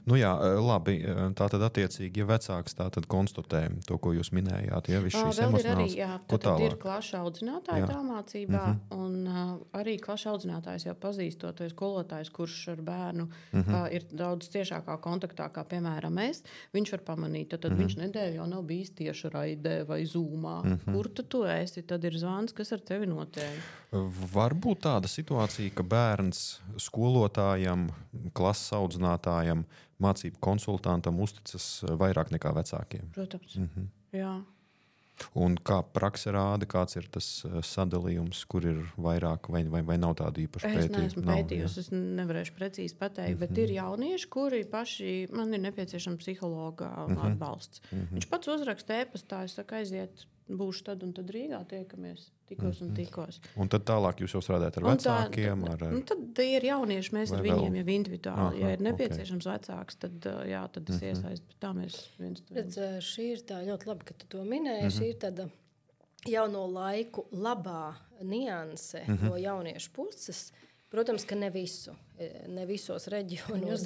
Nu jā, labi, tā tad attiecīgi, ja vecāks tā tad konstatē to, ko jūs minējāt, ja viss šīs emocionāls, jā, ko tālāk? Ir klašu audzinātāji tālmācībā, mm-hmm. un uh, arī klašu audzinātājs jau pazīstot, vai skolotājs, kurš ar bērnu mm-hmm. uh, ir daudz ciešākā kontaktā, kā piemēram mēs, viņš var pamanīt, tad, tad mm-hmm. viņš nedēļu jau nav bijis tieši raidē vai zūmā. Mm-hmm. Kur tu tu esi? Tad ir zvans, kas ar tevi notiek. Var būt tāda situācija, ka bērns skolotājam, klases audzinātājam, mācību konsultantam uzticas vairāk nekā vecākiem. Protams, mm-hmm. jā. Un kā prakse rāda, kāds ir tas sadalījums, kur ir vairāk vai, vai, vai nav tāda īpaša pētījuma? Es neesmu pētījusi, es nevarēšu precīzi pateikt, mm-hmm. bet ir jaunieši, kuri paši, man ir nepieciešama psihologa mm-hmm. atbalsts. Mm-hmm. Viņš pats uzraksta ēpastā, es saku, aiziet, būšu tad un tad Rīgā tiekamies, tikos mm-hmm. un tikos. Un tad tālāk jūs jau strādājat ar vecākiem? Tā, ar, ar... Un tad ir jaunieši, mēs ar viņiem jau individuāli. Aha, ja ir nepieciešams okay. vecāks, tad, jā, tad es mm-hmm. iesaistu. Tā mēs viens to Redz, šī ir tā ļoti labi, ka tu to minēji. Mm-hmm. Šī ir tāda jauno laiku labā nianse mm-hmm. no jauniešu puses. Protams, ka ne visu, ne visos reģionos,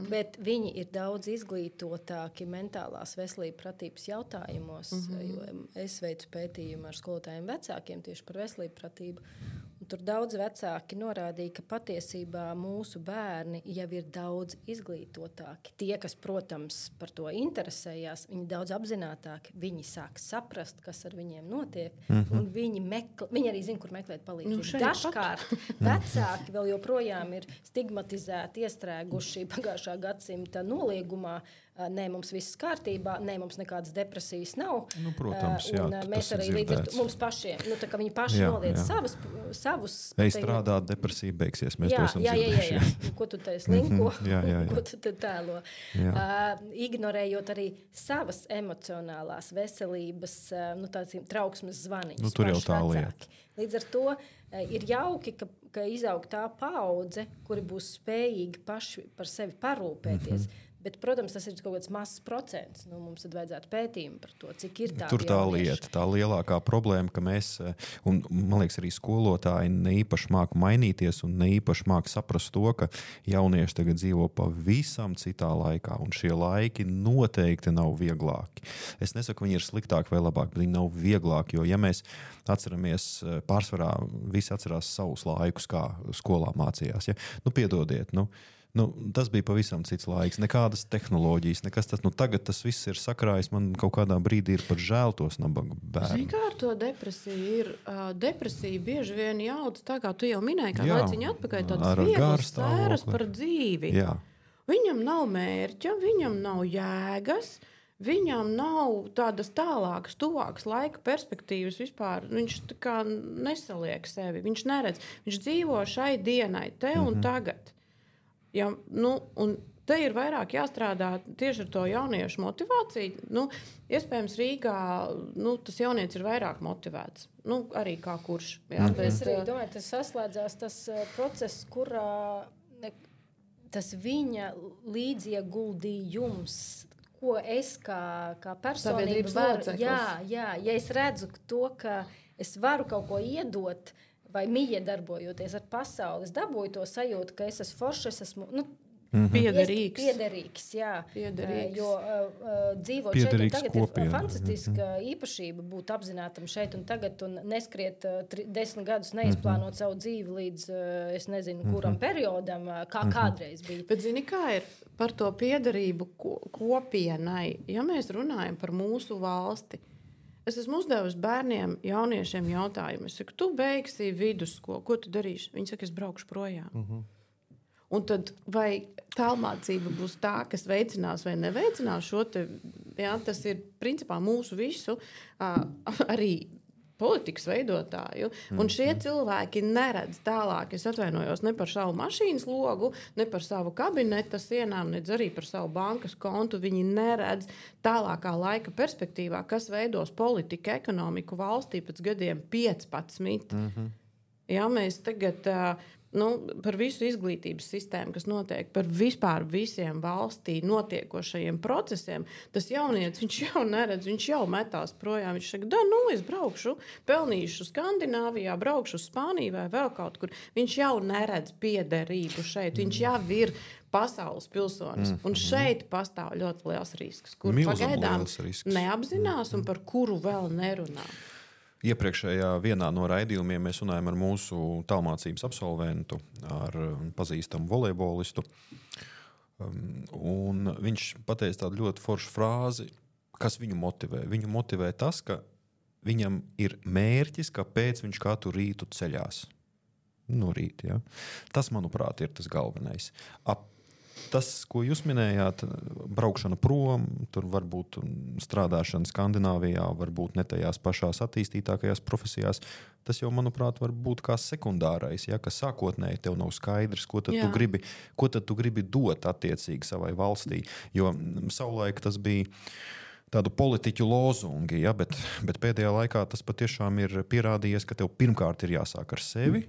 bet viņi ir daudz izglītotāki mentālās veselības pratības jautājumos, mm-hmm. jo es veicu pētījumu ar skolotājiem vecākiem tieši par veselību pratību. Un tur daudz vecāki norādīja, ka patiesībā mūsu bērni jau ir daudz izglītotāki. Tie, kas, protams, par to interesējās, viņi daudz apzinātāki, viņi sāk saprast, kas ar viņiem notiek, mm-hmm. un viņi, mekl... viņi arī zina, kur meklēt palīdzību. Nu, dažkārt vecāki vēl joprojām ir stigmatizēti, iestrēguši pagājušā gadsimta noliegumā, nē, mums viss kārtībā, nē, mums nekādas depresijas nav. Nu, protams, jā, un mēs arī līdz ar to mums pašiem, nu, tā kā viņi paši jā, noliedz jā. savas, savus... Ej strādāt, depresija beigsies, mēs jā, to esam jā, jā, jā, jā. Ko tu te slinko, jā, jā, jā. ko tu te tēlo. Uh, ignorējot arī savas emocionālās veselības, uh, nu, tāds trauksmes zvaniņas. Nu, tur jau tā lieta. Līdz ar to uh, ir jauki, ka, ka izaug tā paudze, kuri būs spējīgi paši par sevi parūpēties. Mm-hmm. Bet, protams, tas ir kaut kāds mazs procents. Nu, mums tad vajadzētu pētījumu par to, cik ir tā. Tur tā lieta, tā lielākā problēma, ka mēs, un man liekas, arī skolotāji ne īpaši māk mainīties un ne īpaši māk saprast to, ka jaunieši tagad dzīvo pavisam citā laikā, un šie laiki noteikti nav vieglāki. Es nesaku, viņi ir sliktāki vai labāki, bet viņi nav vieglāki, jo ja mēs atceramies, pārsvarā visi atcerās savus laikus, kā skolā mācījās. Ja? Nu, piedodiet, nu, Nu, tas bija pavisam cits laiks, nekādas tehnoloģijas, nekas tas. Nu, tagad tas viss ir sakrājis, man kaut kādā brīdī ir pat žēl tos nabaga bērnu. Zini, kā ar to depresiju ir? Uh, depresija bieži vien jauc, tā kā tu jau minēji, kā laiciņu atpakaļ, tādas vieglas sēras par dzīvi. Jā. Viņam nav mērķa, viņam nav jēgas, viņam nav tādas tālākas, tuvākas laika perspektīvas vispār. Viņš tā kā nesaliek sevi, viņš neredz. Viņš dzīvo šai dienai, te un mm-hmm. tagad. Ja, nu, un te ir vairāk jāstrādā tieši ar to jauniešu motivāciju. Nu, iespējams, Rīgā nu, tas jaunietis ir vairāk motivēts. Nu, arī kā kurš. Jā, mm. bet, es arī domāju, tas saslēdzās tas uh, process, kurā ne, tas viņa līdzieguldījums, ko es kā, kā personība varu. Jā, jā, ja es redzu to, ka es varu kaut ko iedot, vai miedarbojoties ar pasauli, es dabūju to sajūtu, ka es esmu foršs, es esmu nu, mm-hmm. piederīgs. Piederīgs, jā. Piederīgs. Jo uh, dzīvot piederīgs šeit un tagad kopiena. Ir fantastiska mm-hmm. īpašība būt apzinātam šeit un tagad un neskriet uh, tri, desmit gadus neizplānot mm-hmm. savu dzīvi līdz, uh, es nezinu, kuram mm-hmm. periodam, uh, kā mm-hmm. kādreiz bija. Bet zini, kā ir par to piederību ko, kopienai? Ja mēs runājam par mūsu valsti, es esmu uzdevusi bērniem, jauniešiem jautājumu. Es saku, tu beigsi vidusskolu, ko tu darīsi? Viņi saka, es braukšu projām. Uh-huh. Un tad vai tālmācība būs tā, kas veicinās vai neveicinās šo te, jā, tas ir principā mūsu visu uh, arī politikas veidotāju. Un šie cilvēki neredz tālāk, es atvainojos, ne par savu mašīnas logu, ne par savu kabineta sienām, ne arī par savu bankas kontu. Viņi neredz tālākā laika perspektīvā, kas veidos politiku, ekonomiku valstī pēc gadiem piecpadsmit. Mm-hmm. Ja mēs tagad nu, par visu izglītības sistēmu, kas notiek, par vispār visiem valstī notiekošajiem procesiem, tas jaunietis, viņš jau neredz, viņš jau metās projām. Viņš saka, da, nu, es braukšu, pelnīšu Skandināvijā, braukšu uz Spāniju vai vēl kaut kur. Viņš jau neredz piederību šeit, viņš jau ir pasaules pilsonis. Mm-hmm. Un šeit pastāv ļoti liels risks, kur Milzam pagaidām risks. Neapzinās un par kuru vēl nerunā. Iepriekšējā vienā no raidījumiem mēs runājam ar mūsu tālmācības absolventu, ar pazīstamu volejbolistu. Un viņš pateica tādu ļoti foršu frāzi, kas viņu motivē. Viņu motivē tas, ka viņam ir mērķis, kāpēc viņš katru rītu ceļās. No rīta, ja? Tas, manuprāt, ir tas galvenais. Ap Tas, ko jūs minējāt, braukšana prom, tur varbūt strādāšana Skandināvijā, varbūt ne tajās pašās attīstītākajās profesijās, tas jau, manuprāt, var būt kā sekundārais, ja, ka sākotnēji tev nav skaidrs, ko tad, tu gribi, ko tad tu gribi dot attiecīgi savai valstī. Jo savulaik tas bija tādu politiķu lozungi, ja, bet, bet pēdējā laikā tas patiešām ir pierādījies, ka tev pirmkārt ir jāsāk ar sevi,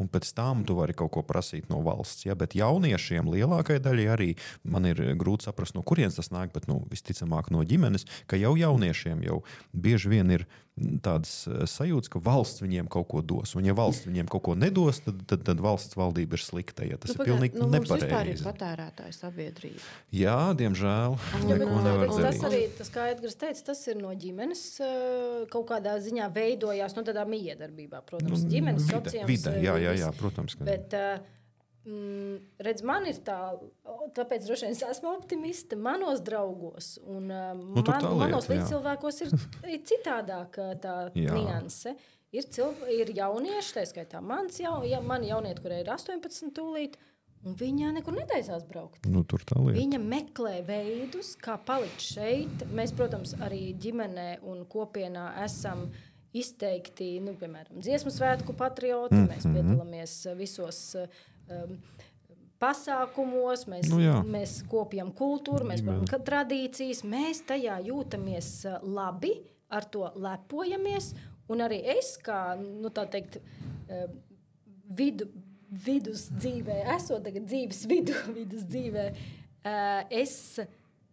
un pēc tam tu vari kaut ko prasīt no valsts. Ja? Bet jauniešiem lielākai daļai arī man ir grūti saprast, no kurienes tas nāk, bet nu, visticamāk no ģimenes, ka jau jauniešiem jau bieži vien ir tādas sajūtas, ka valsts viņiem kaut ko dos. Un ja valsts viņiem kaut ko nedos, tad, tad, tad valsts valdība ir slikta. Ja? Tas nu, ir pilnīgi nu, nepareizi. Mums vispār ir patērētāja sabiedrība. Jā, diemžēl. Jā, neko nevar darīt. Tas arī, tas, kā Edgars teica, tas ir no ģimenes kaut kādā ziņā veidojās, no tādā miedarbībā, protams, nu, ģimenes sociāls. Vide, jā, jā, jā, protams. Ka... Bet, mm, redz, man ir tā, tāpēc droši vien es esmu optimiste manos draugos, un nu, man, lieta, manos līdzcilvēkos ir, ir citādāk tā nianse. Ir, cilv, ir jaunieši, tā skaitā mans jau, ja, mani jaunieti, kurai ir astoņpadsmit tūlīt, Un viņa nekur netaisās braukt. Nu, tur tā lieta. Viņa meklē veidus, kā palikt šeit. Mēs, protams, arī ģimenē un kopienā esam izteikti, nu, piemēram, dziesmu svētku patrioti. Mm-hmm. Mēs piedalāmies visos um, pasākumos, mēs, nu, mēs kopjam kultūru, mēs kopjam tradīcijas. Mēs tajā jūtamies labi, ar to lepojamies. Un arī es, kā, nu, tā teikt, vidu, vidus dzīvē, esot tagad dzīves vidu, vidus dzīvē, es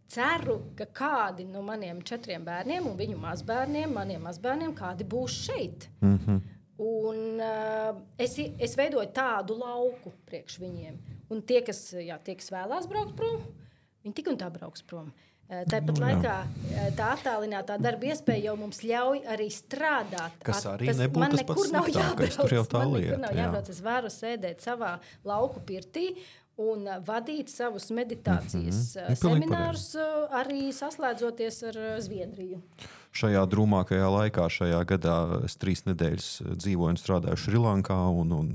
ceru, ka kādi no maniem četriem bērniem un viņu mazbērniem, maniem mazbērniem, kādi būs šeit. Mm-hmm. Un uh, es, es veidoju tādu lauku priekš viņiem. Un tie, kas, jā, tie, kas vēlās braukt prom, viņi tik un tā brauks prom. Uh, tāpat nu, laikā tā attālinātā darba iespēja jau mums ļauj arī strādāt. Kas arī tas, nebūtu tas pats sliktākais, tur jau tā man lieta. Man nekur nav jābrauc, es varu sēdēt savā lauku pirtī un vadīt savus meditācijas mm-hmm. seminārus, arī saslēdzoties ar Zviedriju. Šajā drūmākajā laikā, šajā gadā es trīs nedēļas dzīvoju un strādāju Šrilankā, un, un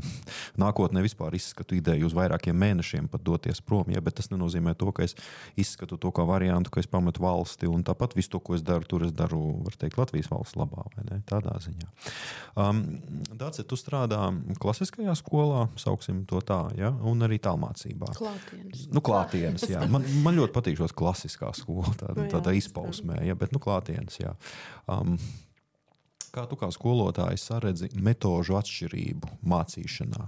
nākotnē vispār izskatu ideju uz vairākiem mēnešiem pat doties prom, ja, bet tas nenozīmē to, ka es izskatu to kā variantu, ka es pametu valsti, un tāpat visu to, ko es daru, tur es daru, var teikt, Latvijas valsts labā, vai ne? Tādā ziņā. Um, Dāce, tu strādā klasiskajā skolā, sauksim to tā, ja, un arī tālmācībā. Klātienes. Nu, klātienes, jā. Man, man ļoti patīk šos klasiskā skola, tā, tādā izpausmē, ja, bet nu klātienes, jā. Um, kā tu kā skolotāji saredzi metožu atšķirību mācīšanā?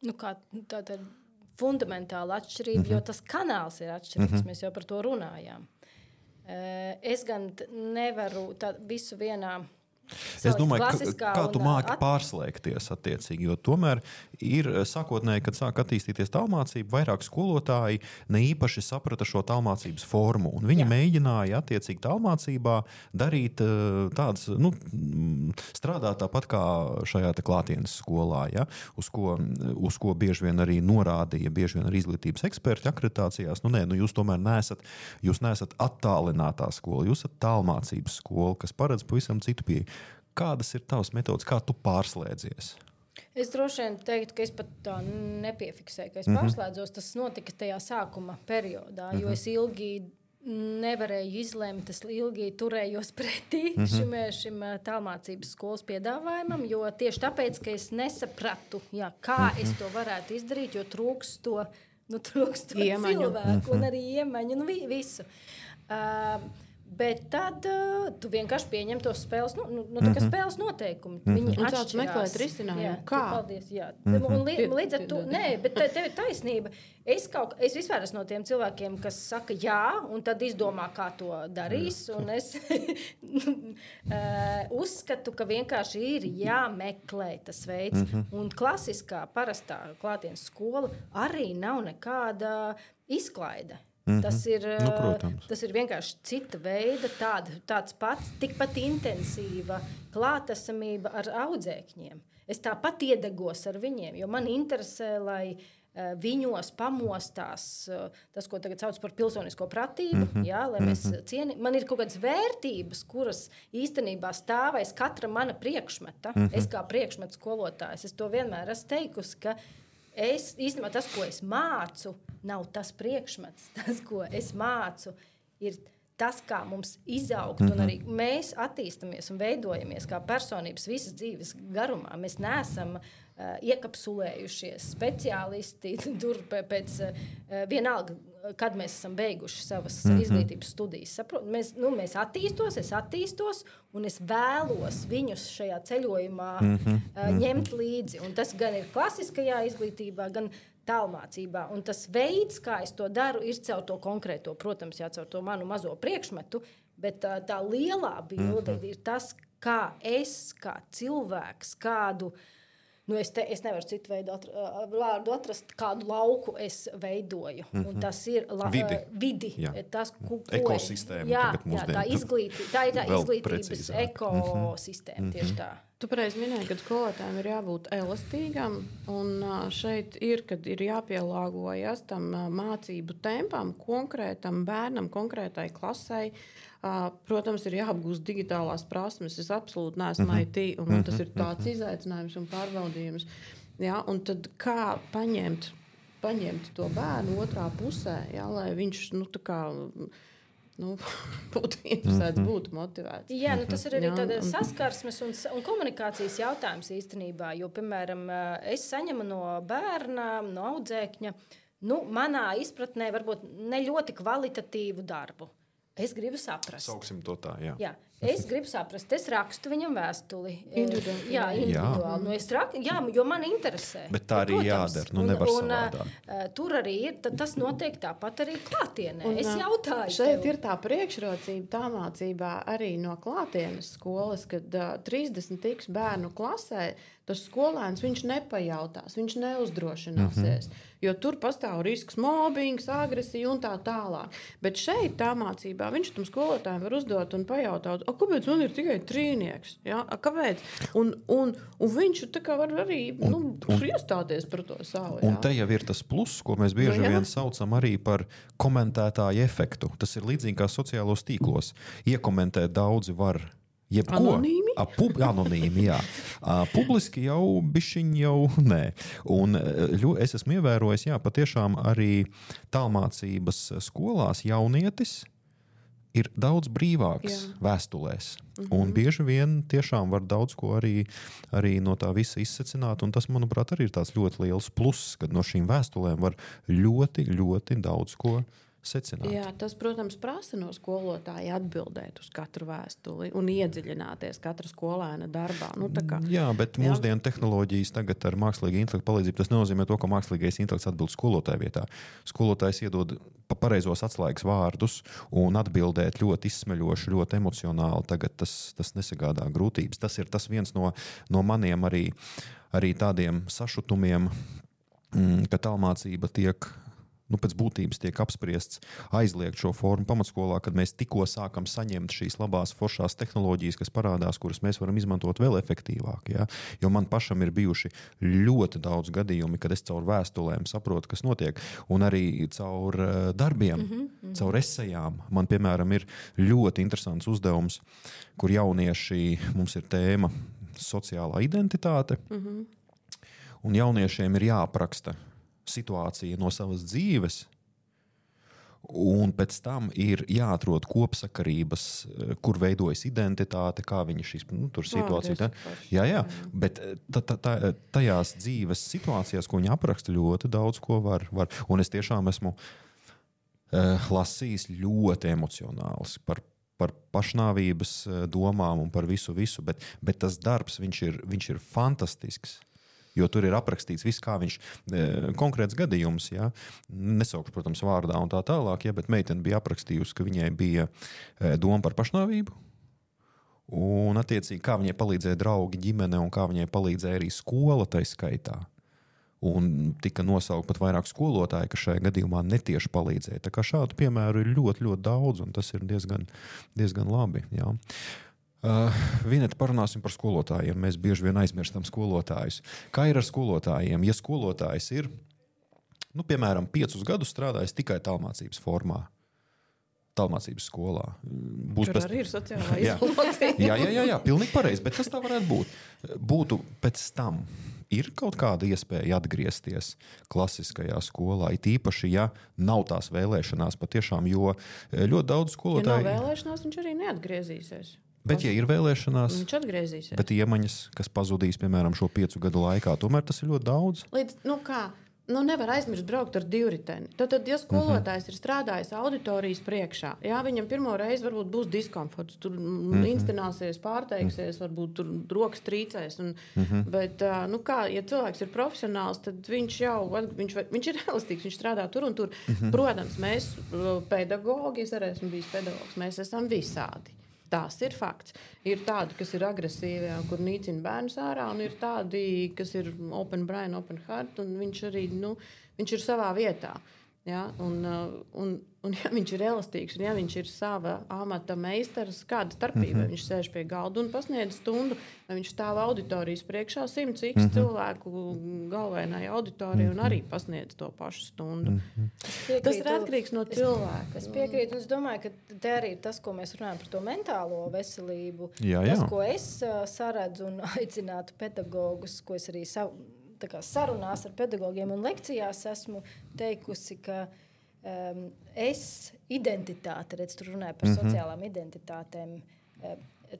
Nu, kā tāda fundamentāla atšķirība, mm-hmm. jo tas kanāls ir atšķirīgs, mm-hmm. mēs jau par to runājām. Es gan nevaru tā visu vienā Es domāju, ka, kā tu māki at... pārslēgties attiecīgi, jo tomēr ir sākotnēji, kad sāk attīstīties tālmācība, vairāk skolotāji ne īpaši saprata šo tālmācības formu, un viņi Jā. mēģināja attiecīgi tālmācībā darīt tādas, nu, strādāt tāpat kā šajā te klātienes skolā, ja, uz ko, uz ko bieži vien arī norādīja, bieži vien arī izglītības eksperti akreditācijās, nu nē, nu jūs tomēr neesat, jūs neesat attālinātā skola, jūs esat tālmācības skola, kas paredz pavisam citu pieeju. Kādas ir tavas metodas, kā tu pārslēdzies? Es droši vien teiktu, ka es pat tā nepiefiksēju, ka es mm-hmm. pārslēdzos. Tas notika tajā sākuma periodā, mm-hmm. jo es ilgi nevarēju izlemt, es ilgi turējos pretī mm-hmm. šim, šim tālmācības skolas piedāvājumam, jo tieši tāpēc, ka es nesapratu, jā, kā mm-hmm. es to varētu izdarīt, jo trūks to, nu, trūks to cilvēku mm-hmm. un arī iemaņu, nu, visu. Uh, Bet tad uh, tu vienkārši pieņem tos spēles, nu, nu, nu, mm-hmm. spēles noteikumi. Mm-hmm. Viņi un tāds meklēt risinājumu. Kā? Paldies, jā. Mm-hmm. Un li, līdz ar to, nē, bet tev ir taisnība. Es, kaut, es vispār esmu no tiem cilvēkiem, kas saka jā, un tad izdomā, kā to darīs. Un es uzskatu, ka vienkārši ir jāmeklē tas veids. Mm-hmm. Un klasiskā, parastā klātienes skola arī nav nekāda izklaide. Mm-hmm. Tas ir, nu, tas ir vienkārši cita veida, tāda, tāds pats, tikpat intensīva klātesamība ar audzēkņiem. Es tāpat iedegos ar viņiem, jo man interesē, lai uh, viņos pamostās uh, tas, ko tagad sauc par pilsonisko pratību, mm-hmm. jā, lai mēs cieni. Man ir kaut kādas vērtības, kuras īstenībā stāvēs katra mana priekšmeta. Mm-hmm. Es kā priekšmetu skolotājs, es to vienmēr esmu teikusi, ka es, īstenībā tas, ko es mācu, nav tas priekšmets. Tas, ko es mācu, ir tas, kā mums izaugt. Mm-hmm. Un arī mēs attīstamies un veidojamies kā personības visas dzīves garumā. Mēs neesam uh, iekapsulējušies speciālisti tur pēc uh, vienalga, kad mēs esam beiguši savas mm-hmm. izglītības studijas. Saprot, mēs, nu, mēs attīstos, es attīstos, un es vēlos viņus šajā ceļojumā mm-hmm. uh, ņemt līdzi. Un tas gan ir klasiskajā izglītībā, gan tālmācībā. Un tas veids, kā es to daru, ir caur to konkrēto, protams, jā, caur to manu mazo priekšmetu, bet tā, tā lielā bilde mm-hmm. ir tas, kā es, kā cilvēks, kādu, nu es, te, es nevaru citu veidu atra, vārdu atrast, kādu lauku es veidoju. Mm-hmm. Un tas ir la, vidi. vidi tas, ko, ekosistēma. Jā, jā, tā, izglīti, tā ir tā izglītības precīzāk. ekosistēma, mm-hmm. tieši tā. Tu pareizi minēji, ka skolotājiem ir jābūt elastīgam, un šeit ir, kad ir jāpielāgojas tam mācību tempam, konkrētam bērnam, konkrētai klasei. Protams, ir jāapgūst digitālās prasmes. Es absolūti neesmu mm-hmm. I T, un man tas ir tāds izaicinājums un pārbaudījums. Ja, un tad kā paņemt, paņemt to bērnu otrā pusē, ja, lai viņš nu, tā kā, nu, būtu interesēts, būtu motivēts. Jā, nu, tas ir arī Jā, tāda un- saskarsmes un, un komunikācijas jautājums īstenībā. Jo, piemēram, es saņemu no bērna, no audzēkņa, nu, manā izpratnē varbūt ne ļoti kvalitatīvu darbu. Es gribu saprast. Sauksim to tā, jā. Jā, es gribu saprast, es rakstu viņam vēstuli. Individuāli. Jā, individuāli. Nu, es rak, jā, jo man interesē. Bet tā arī Protams. jādara, nu, nevar un, savādāk. uh, tur arī ir, tad tas notiek tāpat arī klātienē. Un, Es ā, jautāju Šeit tev. ir tā priekšrocība tā mācībā arī no klātienes skolas, kad uh, trīsdesmit tiks bērnu klasē, tas skolēns viņš nepajautās, viņš neuzdrošināsies. Mm -hmm. Jo tur pastāv risks mobbings, agresija un tā tālāk. Bet šeit tā mācībā viņš tam skolotājiem var uzdot un pajautāt, kāpēc man ir tikai trīnieks? Ja? A, kāpēc? Un, un, un viņš tā kā var arī Un- nu, un- iestāties par to savu. Un Ja? te jau ir tas pluss, ko mēs bieži Nu, jā. vien saucam arī par komentētāju efektu. Tas ir līdzīgi kā sociālos tīklos. Iekomentēt daudzi var jebko. Anonīmi? A, pub, anonīmi, jā. A, publiski jau bišķiņ jau nē. Un ļo, es esmu ievērojis, jā, patiešām arī tālmācības skolās jaunietis ir daudz brīvāks Jā. vēstulēs. Mm-hmm. Un bieži vien tiešām var daudz ko arī, arī no tā visa izsecināt. Un tas, manuprāt, arī ir tāds ļoti liels pluss, kad no šīm vēstulēm var ļoti, ļoti daudz ko secināt. Jā, tas, protams, prasa no skolotāja atbildēt uz katru vēstuli un iedziļināties katra skolēna darbā. Nu, tā kā, Jā, bet Jā. mūsdienu tehnoloģijas tagad ar mākslīgā intelekta palīdzību tas nenozīmē to, ka mākslīgais intelekts atbild skolotāja vietā. Skolotājs iedod pa pareizos atslēgas vārdus un atbildēt ļoti izsmeļoši, ļoti emocionāli. Tagad tas, tas nesagādā grūtības. Tas ir tas viens no, no maniem arī, arī tādiem sašutumiem, mm, ka tālmācība tiek nu, pēc būtības tiek apspriests aizliegt šo formu pamatskolā, kad mēs tikko sākam saņemt šīs labās foršās tehnoloģijas, kas parādās, kuras mēs varam izmantot vēl efektīvāk. Ja? Jo man pašam ir bijuši ļoti daudz gadījumi, kad es caur vēstulēm saprotu, kas notiek, un arī caur uh, darbiem, mm-hmm, mm-hmm. caur esejām. Man, piemēram, ir ļoti interesants uzdevums, kur jaunieši, mums ir tēma sociālā identitāte, mm-hmm. un jauniešiem ir jāapraksta situācija no savas dzīves, un pēc tam ir jāatrod kopsakarības, kur veidojas identitāte, kā viņi šīs nu, tur situācija. Tā. Jā, jā, bet ta, ta, ta, tajās dzīves situācijās, ko viņi apraksta, ļoti daudz ko var. var. Un es tiešām esmu uh, lasījis ļoti emocionāls par par pašnāvības domām un par visu, visu, bet, bet tas darbs, viņš ir, viņš ir fantastisks. Jo tur ir aprakstīts viss, kā viņš e, konkrēts gadījums, ja, nesaukšu, protams, vārdā un tā tālāk, ja, bet meitene bija aprakstījusi, ka viņai bija e, doma par pašnāvību, un attiecīgi, kā viņai palīdzēja draugi, ģimene, un kā viņai palīdzēja arī skola tai skaitā. Un tika nosaukt pat vairāk skolotāji, kas šajā gadījumā netieši palīdzēja. Tā kā šādu piemēru ir ļoti, ļoti daudz, un tas ir diezgan, diezgan labi, jā. Uh, Vineta, parunāsim par skolotājiem. Mēs bieži vien aizmirstam skolotājus. Kā ir ar skolotājiem? Ja skolotājs ir, nu, piemēram, piecus gadus strādājis tikai tālmācības formā, tālmācības skolā. Būs Tur pēc... arī ir sociālā Jā. izolācija. jā, jā, jā, jā, pilnīgi pareizi, bet tas tā varētu būt. Būtu pēc tam. Ir kaut kāda iespēja atgriezties klasiskajā skolā, it īpaši, ja nav tās vēlēšanās patiešām, jo ļoti daudz skolotāju... Ja nav vēlēšanās, viņš arī neatgriezīsies. Bet, ja ir vēlēšanās, Viņš atgriezīsies. bet iemaņas, kas pazudīs, piemēram, šo piecu gadu laikā, tomēr tas ir ļoti daudz. Līdz, nu kā, nu nevar aizmirst braukt ar divriteni. Tad, tad ja skolotājs uh-huh. ir strādājis auditorijas priekšā, jā, viņam pirmo reizi varbūt būs diskomforts, tur uh-huh. instinēsies, pārteiksies, varbūt tur rokas trīcēs. Un, uh-huh. Bet, nu kā, ja cilvēks ir profesionāls, tad viņš jau, viņš, viņš ir elastīgs, viņš strādā tur un tur. Uh-huh. Protams, mēs pedagogi, es arī esmu bijis pedagogs, mēs esam visādi. Tas ir fakts. Ir tādi, kas ir agresīvi, kur nīcina bērnus ārā, un ir tādi, kas ir open brain, open heart, un viņš arī, nu, viņš ir savā vietā. Ja? Un, un, un ja viņš ir elastīgs, un ja viņš ir sava amata meistars, kāda starpība, mm-hmm. viņš sēž pie galda un pasniedz stundu, vai viņš stāv auditorijas priekšā simts x mm-hmm. cilvēku galvenai auditorijai un arī pasniedz to pašu stundu. Mm-hmm. Tas ir atkarīgs no cilvēka. Es, es piekrītu, un es domāju, ka te arī ir tas, ko mēs runājam par to mentālo veselību. Jā, jā. Tas, ko es uh, saredzu un aicinātu pedagogus, ko es arī savu tā kā sarunās ar pedagogiem un lekcijās esmu teikusi, ka um, es identitāte, redz, tu runāji par mm-hmm. sociālām identitātēm,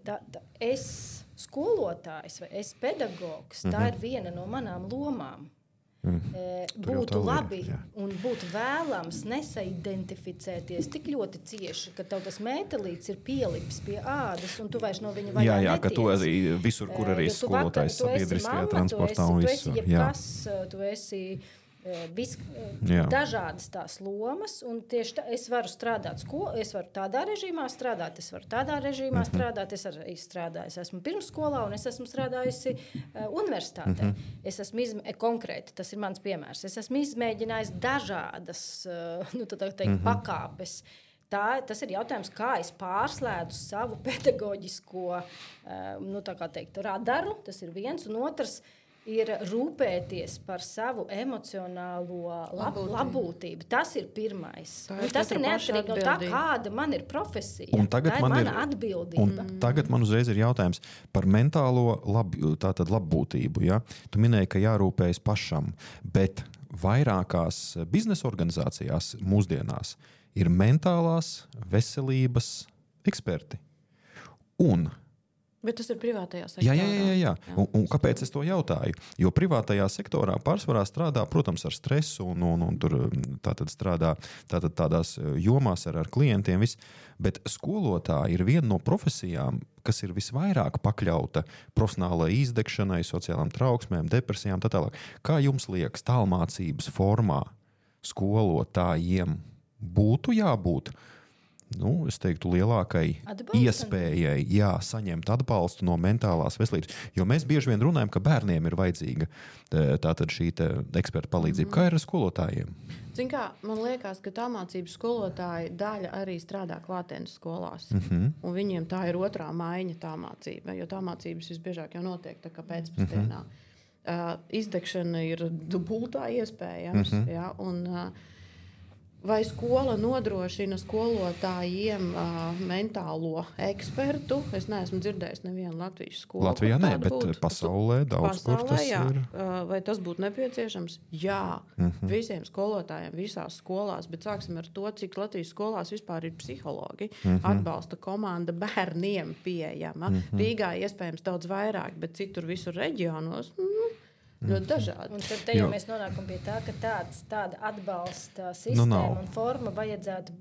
tā, tā, es skolotājs vai es pedagogs, mm-hmm. tā ir viena no manām lomām. Mm. Būtu labi un būtu vēlams nesaidentificēties tik ļoti cieši, ka tev tas mētelīts ir pielips pie ādas un tu vairs no viņa vaļā jā, jā, netiec. Ka tu arī visur, kur arī skolotājs sabiedriskajā transportā un visu. Tu esi jebkas, tu esi vis, dažādas tās lomas, un tieši tā, es varu strādāt skolu, es varu tādā režīmā strādāt, es varu tādā režīmā mm-hmm. strādāt, es arī strādāju, es esmu pirmsskolā un es esmu strādājusi uh, universitātē. Mm-hmm. Es esmu izmē... konkrēti, tas ir mans piemērs, es esmu izmēģinājis dažādas, uh, nu, tā teikt, mm-hmm. pakāpes. Tā, tas ir jautājums, kā es pārslēdzu savu pedagoģisko, uh, nu, tā kā teikt, radaru, tas ir viens, un otrs, ir rūpēties par savu emocionālo lab, labūtību. Tas ir pirmais. Tā ir tas ir neatkarīgi no tā, kāda man ir profesija. Un tagad tā ir man mana ir, atbildība. Un tagad man uzreiz ir jautājums par mentālo lab, tātad labbūtību. Ja? Tu minēji, ka jārūpējas pašam, bet vairākās biznesa organizācijās mūsdienās ir mentālās veselības eksperti. Un bet tas ir privātajā sektorā. Jā, jā, jā. jā. Un, un kāpēc es to jautāju? Jo privātajā sektorā pārsvarā strādā, protams, ar stresu un, un, un tur tātad strādā tātad tādās jomās ar, ar klientiem. Viss. Bet skolotāji ir viena no profesijām, kas ir visvairāk pakļauta profesionālai izdegšanai, sociālām trauksmēm, depresijām, tā tālāk. Kā jums liekas, tālmācības formā skolotājiem būtu jābūt? Nu, es teiktu, lielākai Atbalstam. iespējai jā, saņemt atbalstu no mentālās veselības. Jo mēs bieži vien runājam, ka bērniem ir vajadzīga tātad šī eksperta palīdzība. Mm-hmm. Kā ir ar skolotājiem? Zin kā, man liekas, ka tālmācības skolotāji daļa arī strādā klātienes skolās. Mm-hmm. Un viņiem tā ir otrā maiņa tālmācība, jo tālmācības visbiežāk jau notiek tā kā pēcpusdienā. Mm-hmm. Uh, izdegšana ir dubultā iespējams. Mm-hmm. Ja, un, uh, vai skola nodrošina skolotājiem uh, mentālo ekspertu? Es neesmu dzirdējis nevienu latviešu skolu. Latvijā nē, bet būt. pasaulē daudz pasaulē, kur tas jā. ir. Uh, vai tas būtu nepieciešams? Jā, mm-hmm. visiem skolotājiem visās skolās, bet sāksim ar to, cik Latvijas skolās vispār ir psihologi. Mm-hmm. Atbalsta komanda bērniem pieejama. Mm-hmm. Rīgā iespējams daudz vairāk, bet citur visur reģionos mm, ļoti dažādi. Un tad te jau mēs nonākam pie tā, ka tāds, tāda atbalsta sistēma nu, un forma vajadzētu,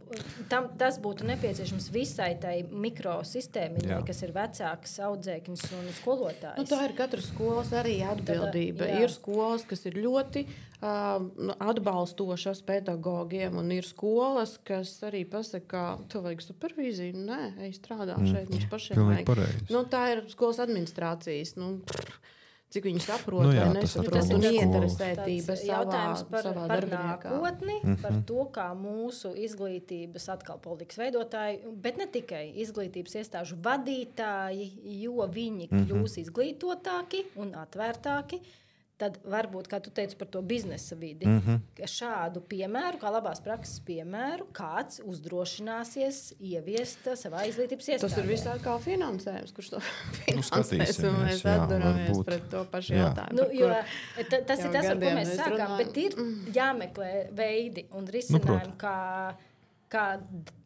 tam, tas būtu nepieciešams visai tai mikrosistēmiņai, kas ir vecāks, audzēknis un skolotājs. Nu, tā ir katras skolas arī atbildība. Tad, ir skolas, kas ir ļoti uh, atbalstošas pedagogiem, un ir skolas, kas arī pasaka, tev vajag supervīziju. Nē, ej strādā mm. šeit, mums pašiem vajag. Nu, tā ir skolas administrācijas. Nu, cik viņi saprot nu jā, vai nesaprot, un ieinteresētība savā, par, savā par darbiniekā. Nākotni, mm-hmm. par to, kā mūsu izglītības atkal politikas veidotāji, bet ne tikai izglītības iestāžu vadītāji, jo viņi kļūs mm-hmm. izglītotāki un atvērtāki, tad varbūt, kā tu teici par to biznesa vidi, mm-hmm. ka šādu piemēru, kā labās prakses piemēru, kāds uzdrošināsies ieviest savā izglītības iestādē. Tas ir visā kā finansējums, kurš to finansēs, un mēs atduramies pret to pašu jā. jautājumu. Nu, jo, ta, tas ir tas, ar ko mēs sākām, runājam. Bet ir jāmeklē veidi un risinājumi, nu, kā, kā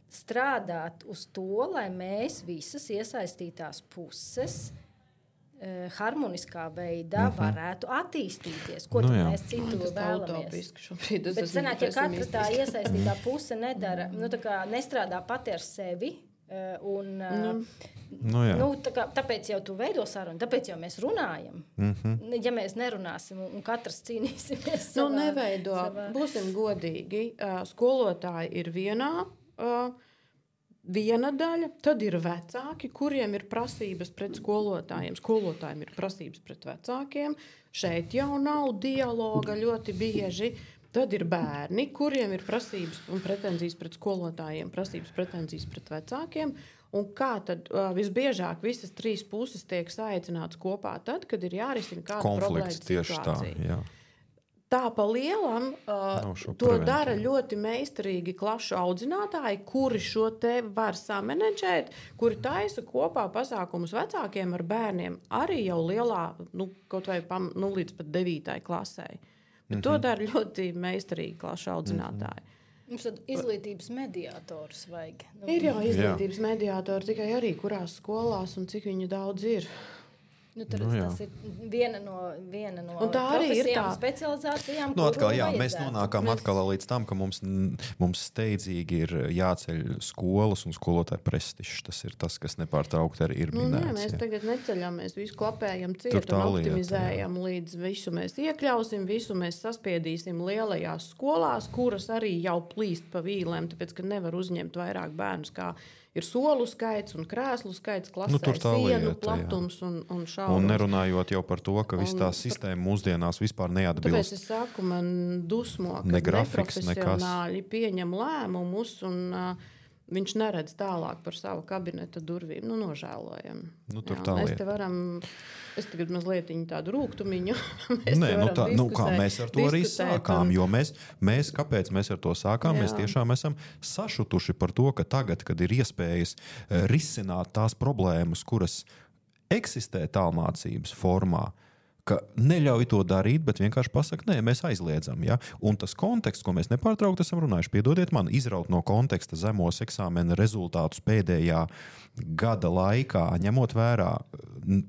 strādāt uz to, lai mēs visas iesaistītās puses harmoniskā veidā mm-hmm. varētu attīstīties. Ko nu, mēs citu vēlamies? Bet sanāk, ja katra tā iesaistītā puse nedara, nu, tā kā nestrādā pati ar sevi, un, nu. Nu, nu, tā kā, tāpēc jau tu veido sarunu, tāpēc jau mēs runājam. Mm-hmm. Ja mēs nerunāsim un katrs cīnīsimies savā... Nu, neveido. Savā... Būsim godīgi. Skolotāji ir vienā... Viena daļa, tad ir vecāki, kuriem ir prasības pret skolotājiem. Skolotājiem ir prasības pret vecākiem. Šeit jau nav dialoga ļoti bieži. Tad ir bērni, kuriem ir prasības un pretenzijas pret skolotājiem, prasības pretenzijas pret vecākiem. Un kā tad uh, visbiežāk visas trīs puses tiek saicināts kopā tad, kad ir jārisina kāda problēma situācija. Jā. Tā pa lielam uh, to preventīvi. dara ļoti meistarīgi klašu audzinātāji, kuri šo te var samanedžēt, kuri taisa kopā pasākumus vecākiem ar bērniem arī jau lielā, nu, kaut vai pam, nu, līdz pat devītai klasē. Bet mm-hmm. to dara ļoti meistarīgi klašu audzinātāji. Mm-hmm. Mums tad izglītības mediātors vajag. Nu, ir jau izglītības Jā. mediātori, tikai arī kurās skolās un cik viņu daudz ir. Nu, tur, nu, tas ir viena no, viena no profesijām, specializācijām. Nu, atkal, jā, mēs nonākam mēs... atkal līdz tam, ka mums, mums steidzīgi ir jāceļ skolas un skolotāju prestižs. Tas ir tas, kas nepārtraukti arī ir nu, minēts. Nē, mēs jā. tagad neceļam, mēs visu klapējam ciet un optimizējam, lieta, līdz visu mēs iekļausim, visu mēs saspiedīsim lielajās skolās, kuras arī jau plīst pa vīlēm, tāpēc, ka nevar uzņemt vairāk bērnus, kā ir solu skaits un krēslu skaits klasē, nu, sienu lieta, platums jā. un, un šaurums. Un nerunājot jau par to, ka viss tā sistēma mūsdienās vispār neatbilst. Tāpēc es saku, man dusmo, ka ne grafiks, neprofesionāļi pieņem lēmumus un uh, viņš neredz tālāk par savu kabineta durvīm. Nu, nožēlojam. Nu, tur jā, tā mēs lieta. te varam, es tagad mazliet tādu rūgtumiņu. Nē, nu tā, nu kā mēs ar to arī sākām, un... jo mēs, mēs, kāpēc mēs ar to sākām, jā. mēs tiešām esam sašutuši par to, ka tagad, kad ir iespējas risināt tās problēmas, kuras eksistē tālmācības formā, ka neļauj to darīt, bet vienkārši pasaka, nē, mēs aizliedzam. Ja? Un tas konteksts, ko mēs nepārtraukti esam runājuši, piedodiet man, izraut no konteksta zemos eksāmena rezultātus pēdējā gada laikā, ņemot vērā,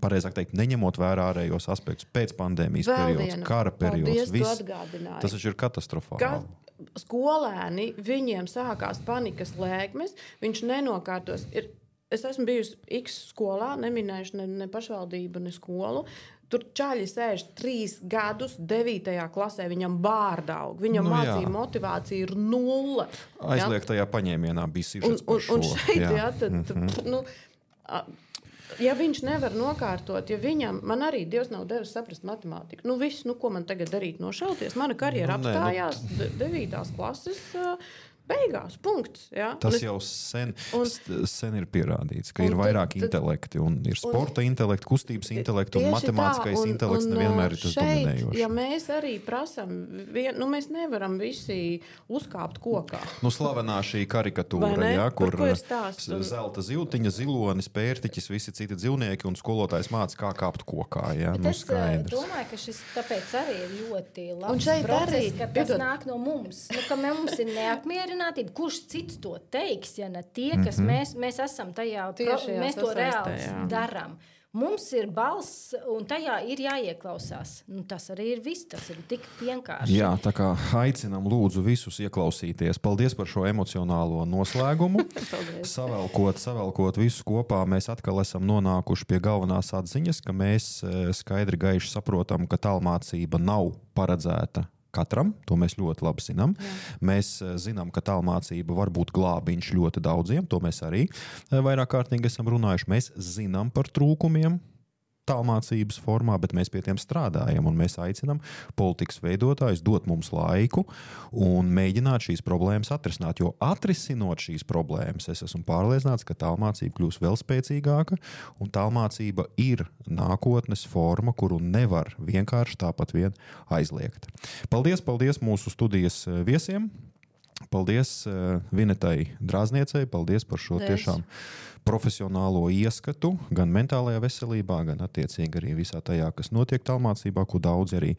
pareizāk teikt, neņemot vērā ārējos aspektus, pēc pandēmijas Vēl periods, viena. kara periods, Paldies, viss, tas ir katastrofāli. Ka skolēni, viņiem sākās panikas lēkmes, viņš nenokārtos. Ir, es esmu bijusi X skolā, neminējuši ne, ne pašvaldību, ne skolu. Tur čaļi sēž trīs gadus devītajā klasē, viņam bārdaug, viņam nu, mācīja motivācija ir nulle. Aizliegtajā paņēmienā bija sižets par šo. Un šeit, jā. jā, tad, mm-hmm. nu, ja viņš nevar nokārtot, ja viņam, man arī Dievs nav devis saprast matemātiku, nu viss, nu ko man tagad darīt, nošauties, mana karjera nu, apstājās nu... devītās klases beigās, punkts. Ja? Tas es... jau sen, un, sen ir pierādīts, ka un, ir vairāk tad, intelekti. Un ir sporta un, intelekti, kustības intelekti un matemātiskais tā, un, intelekts un, nevienmēr ir tas šeit, dominējošs. Ja mēs arī prasam, vien, nu mēs nevaram visi uzkāpt kokā. Nu slavenā šī karikatūra, ja, kur un... zelta ziltiņa, zilonis, pērtiķis, visi citi dzīvnieki un skolotājs māca, kā kāpt kokā. Ja? Nu, es domāju, ka šis tāpēc arī ir ļoti labs process, arī, ka tas piedod... nāk no mums. Nu, ka mums ir neapmierinātība. Kurš cits to teiks, ja ne tie, kas mm-hmm. mēs, mēs esam tajā, pro, mēs to reāli darām. Mums ir balss, un tajā ir jāieklausās. Nu, tas arī ir viss, tas ir tik vienkārši. Jā, tā kā aicinam lūdzu visus ieklausīties. Paldies par šo emocionālo noslēgumu. savelkot, savelkot visus kopā, mēs atkal esam nonākuši pie galvenās atziņas, ka mēs skaidri gaiši saprotam, ka tālmācība nav paredzēta katram, to mēs ļoti labi zinām. Jā. Mēs zinām, ka tālmācība var būt glābiņš ļoti daudziem, to mēs arī vairāk kārtīgi esam runājuši. Mēs zinām par trūkumiem tālmācības formā, bet mēs pie tiem strādājam un mēs aicinām politikas veidotājus dot mums laiku un mēģināt šīs problēmas atrisināt, jo atrisinot šīs problēmas, es esmu pārliecināts, ka tālmācība kļūs vēl spēcīgāka un tālmācība ir nākotnes forma, kuru nevar vienkārši tāpat vien aizliegt. Paldies, paldies mūsu studijas viesiem. Paldies uh, Vinetai Drāzniecei, paldies par šo tiešām profesionālo ieskatu gan mentālajā veselībā, gan attiecīgi arī visā tajā, kas notiek tālmācībā, ko daudz arī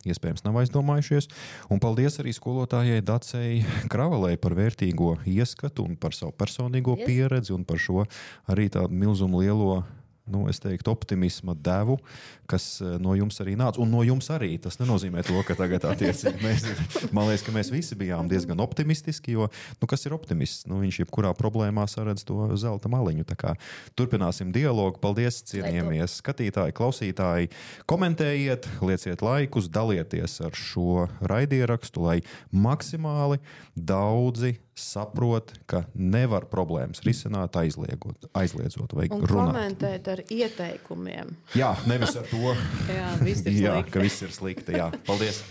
iespējams nav aizdomājušies. Un paldies arī skolotājai Dacei Kravalei par vērtīgo ieskatu un par savu personīgo yes. pieredzi un par šo arī tādu milzumu lielo nu, es teiktu, optimisma devu, kas no jums arī nāca. Un no jums arī. Tas nenozīmē to, ka tagad attiecīgi mēs, man liekas, ka mēs visi bijām diezgan optimistiski, jo, nu, kas ir optimists? Nu, viņš jebkurā problēmā saredz to zelta maliņu. Tā kā turpināsim dialogu. Paldies, cienījamies skatītāji, klausītāji. Komentējiet, lieciet laikus, dalieties ar šo raidierakstu, lai maksimāli daudzi saprot, ka nevar problēmas risināt aizliegot, aizliedzot vai un runāt. Un komentēt ar ieteikumiem. Jā, nevis ar to, jā, viss ir jā, slikti. ka viss ir slikti. Jā. Paldies!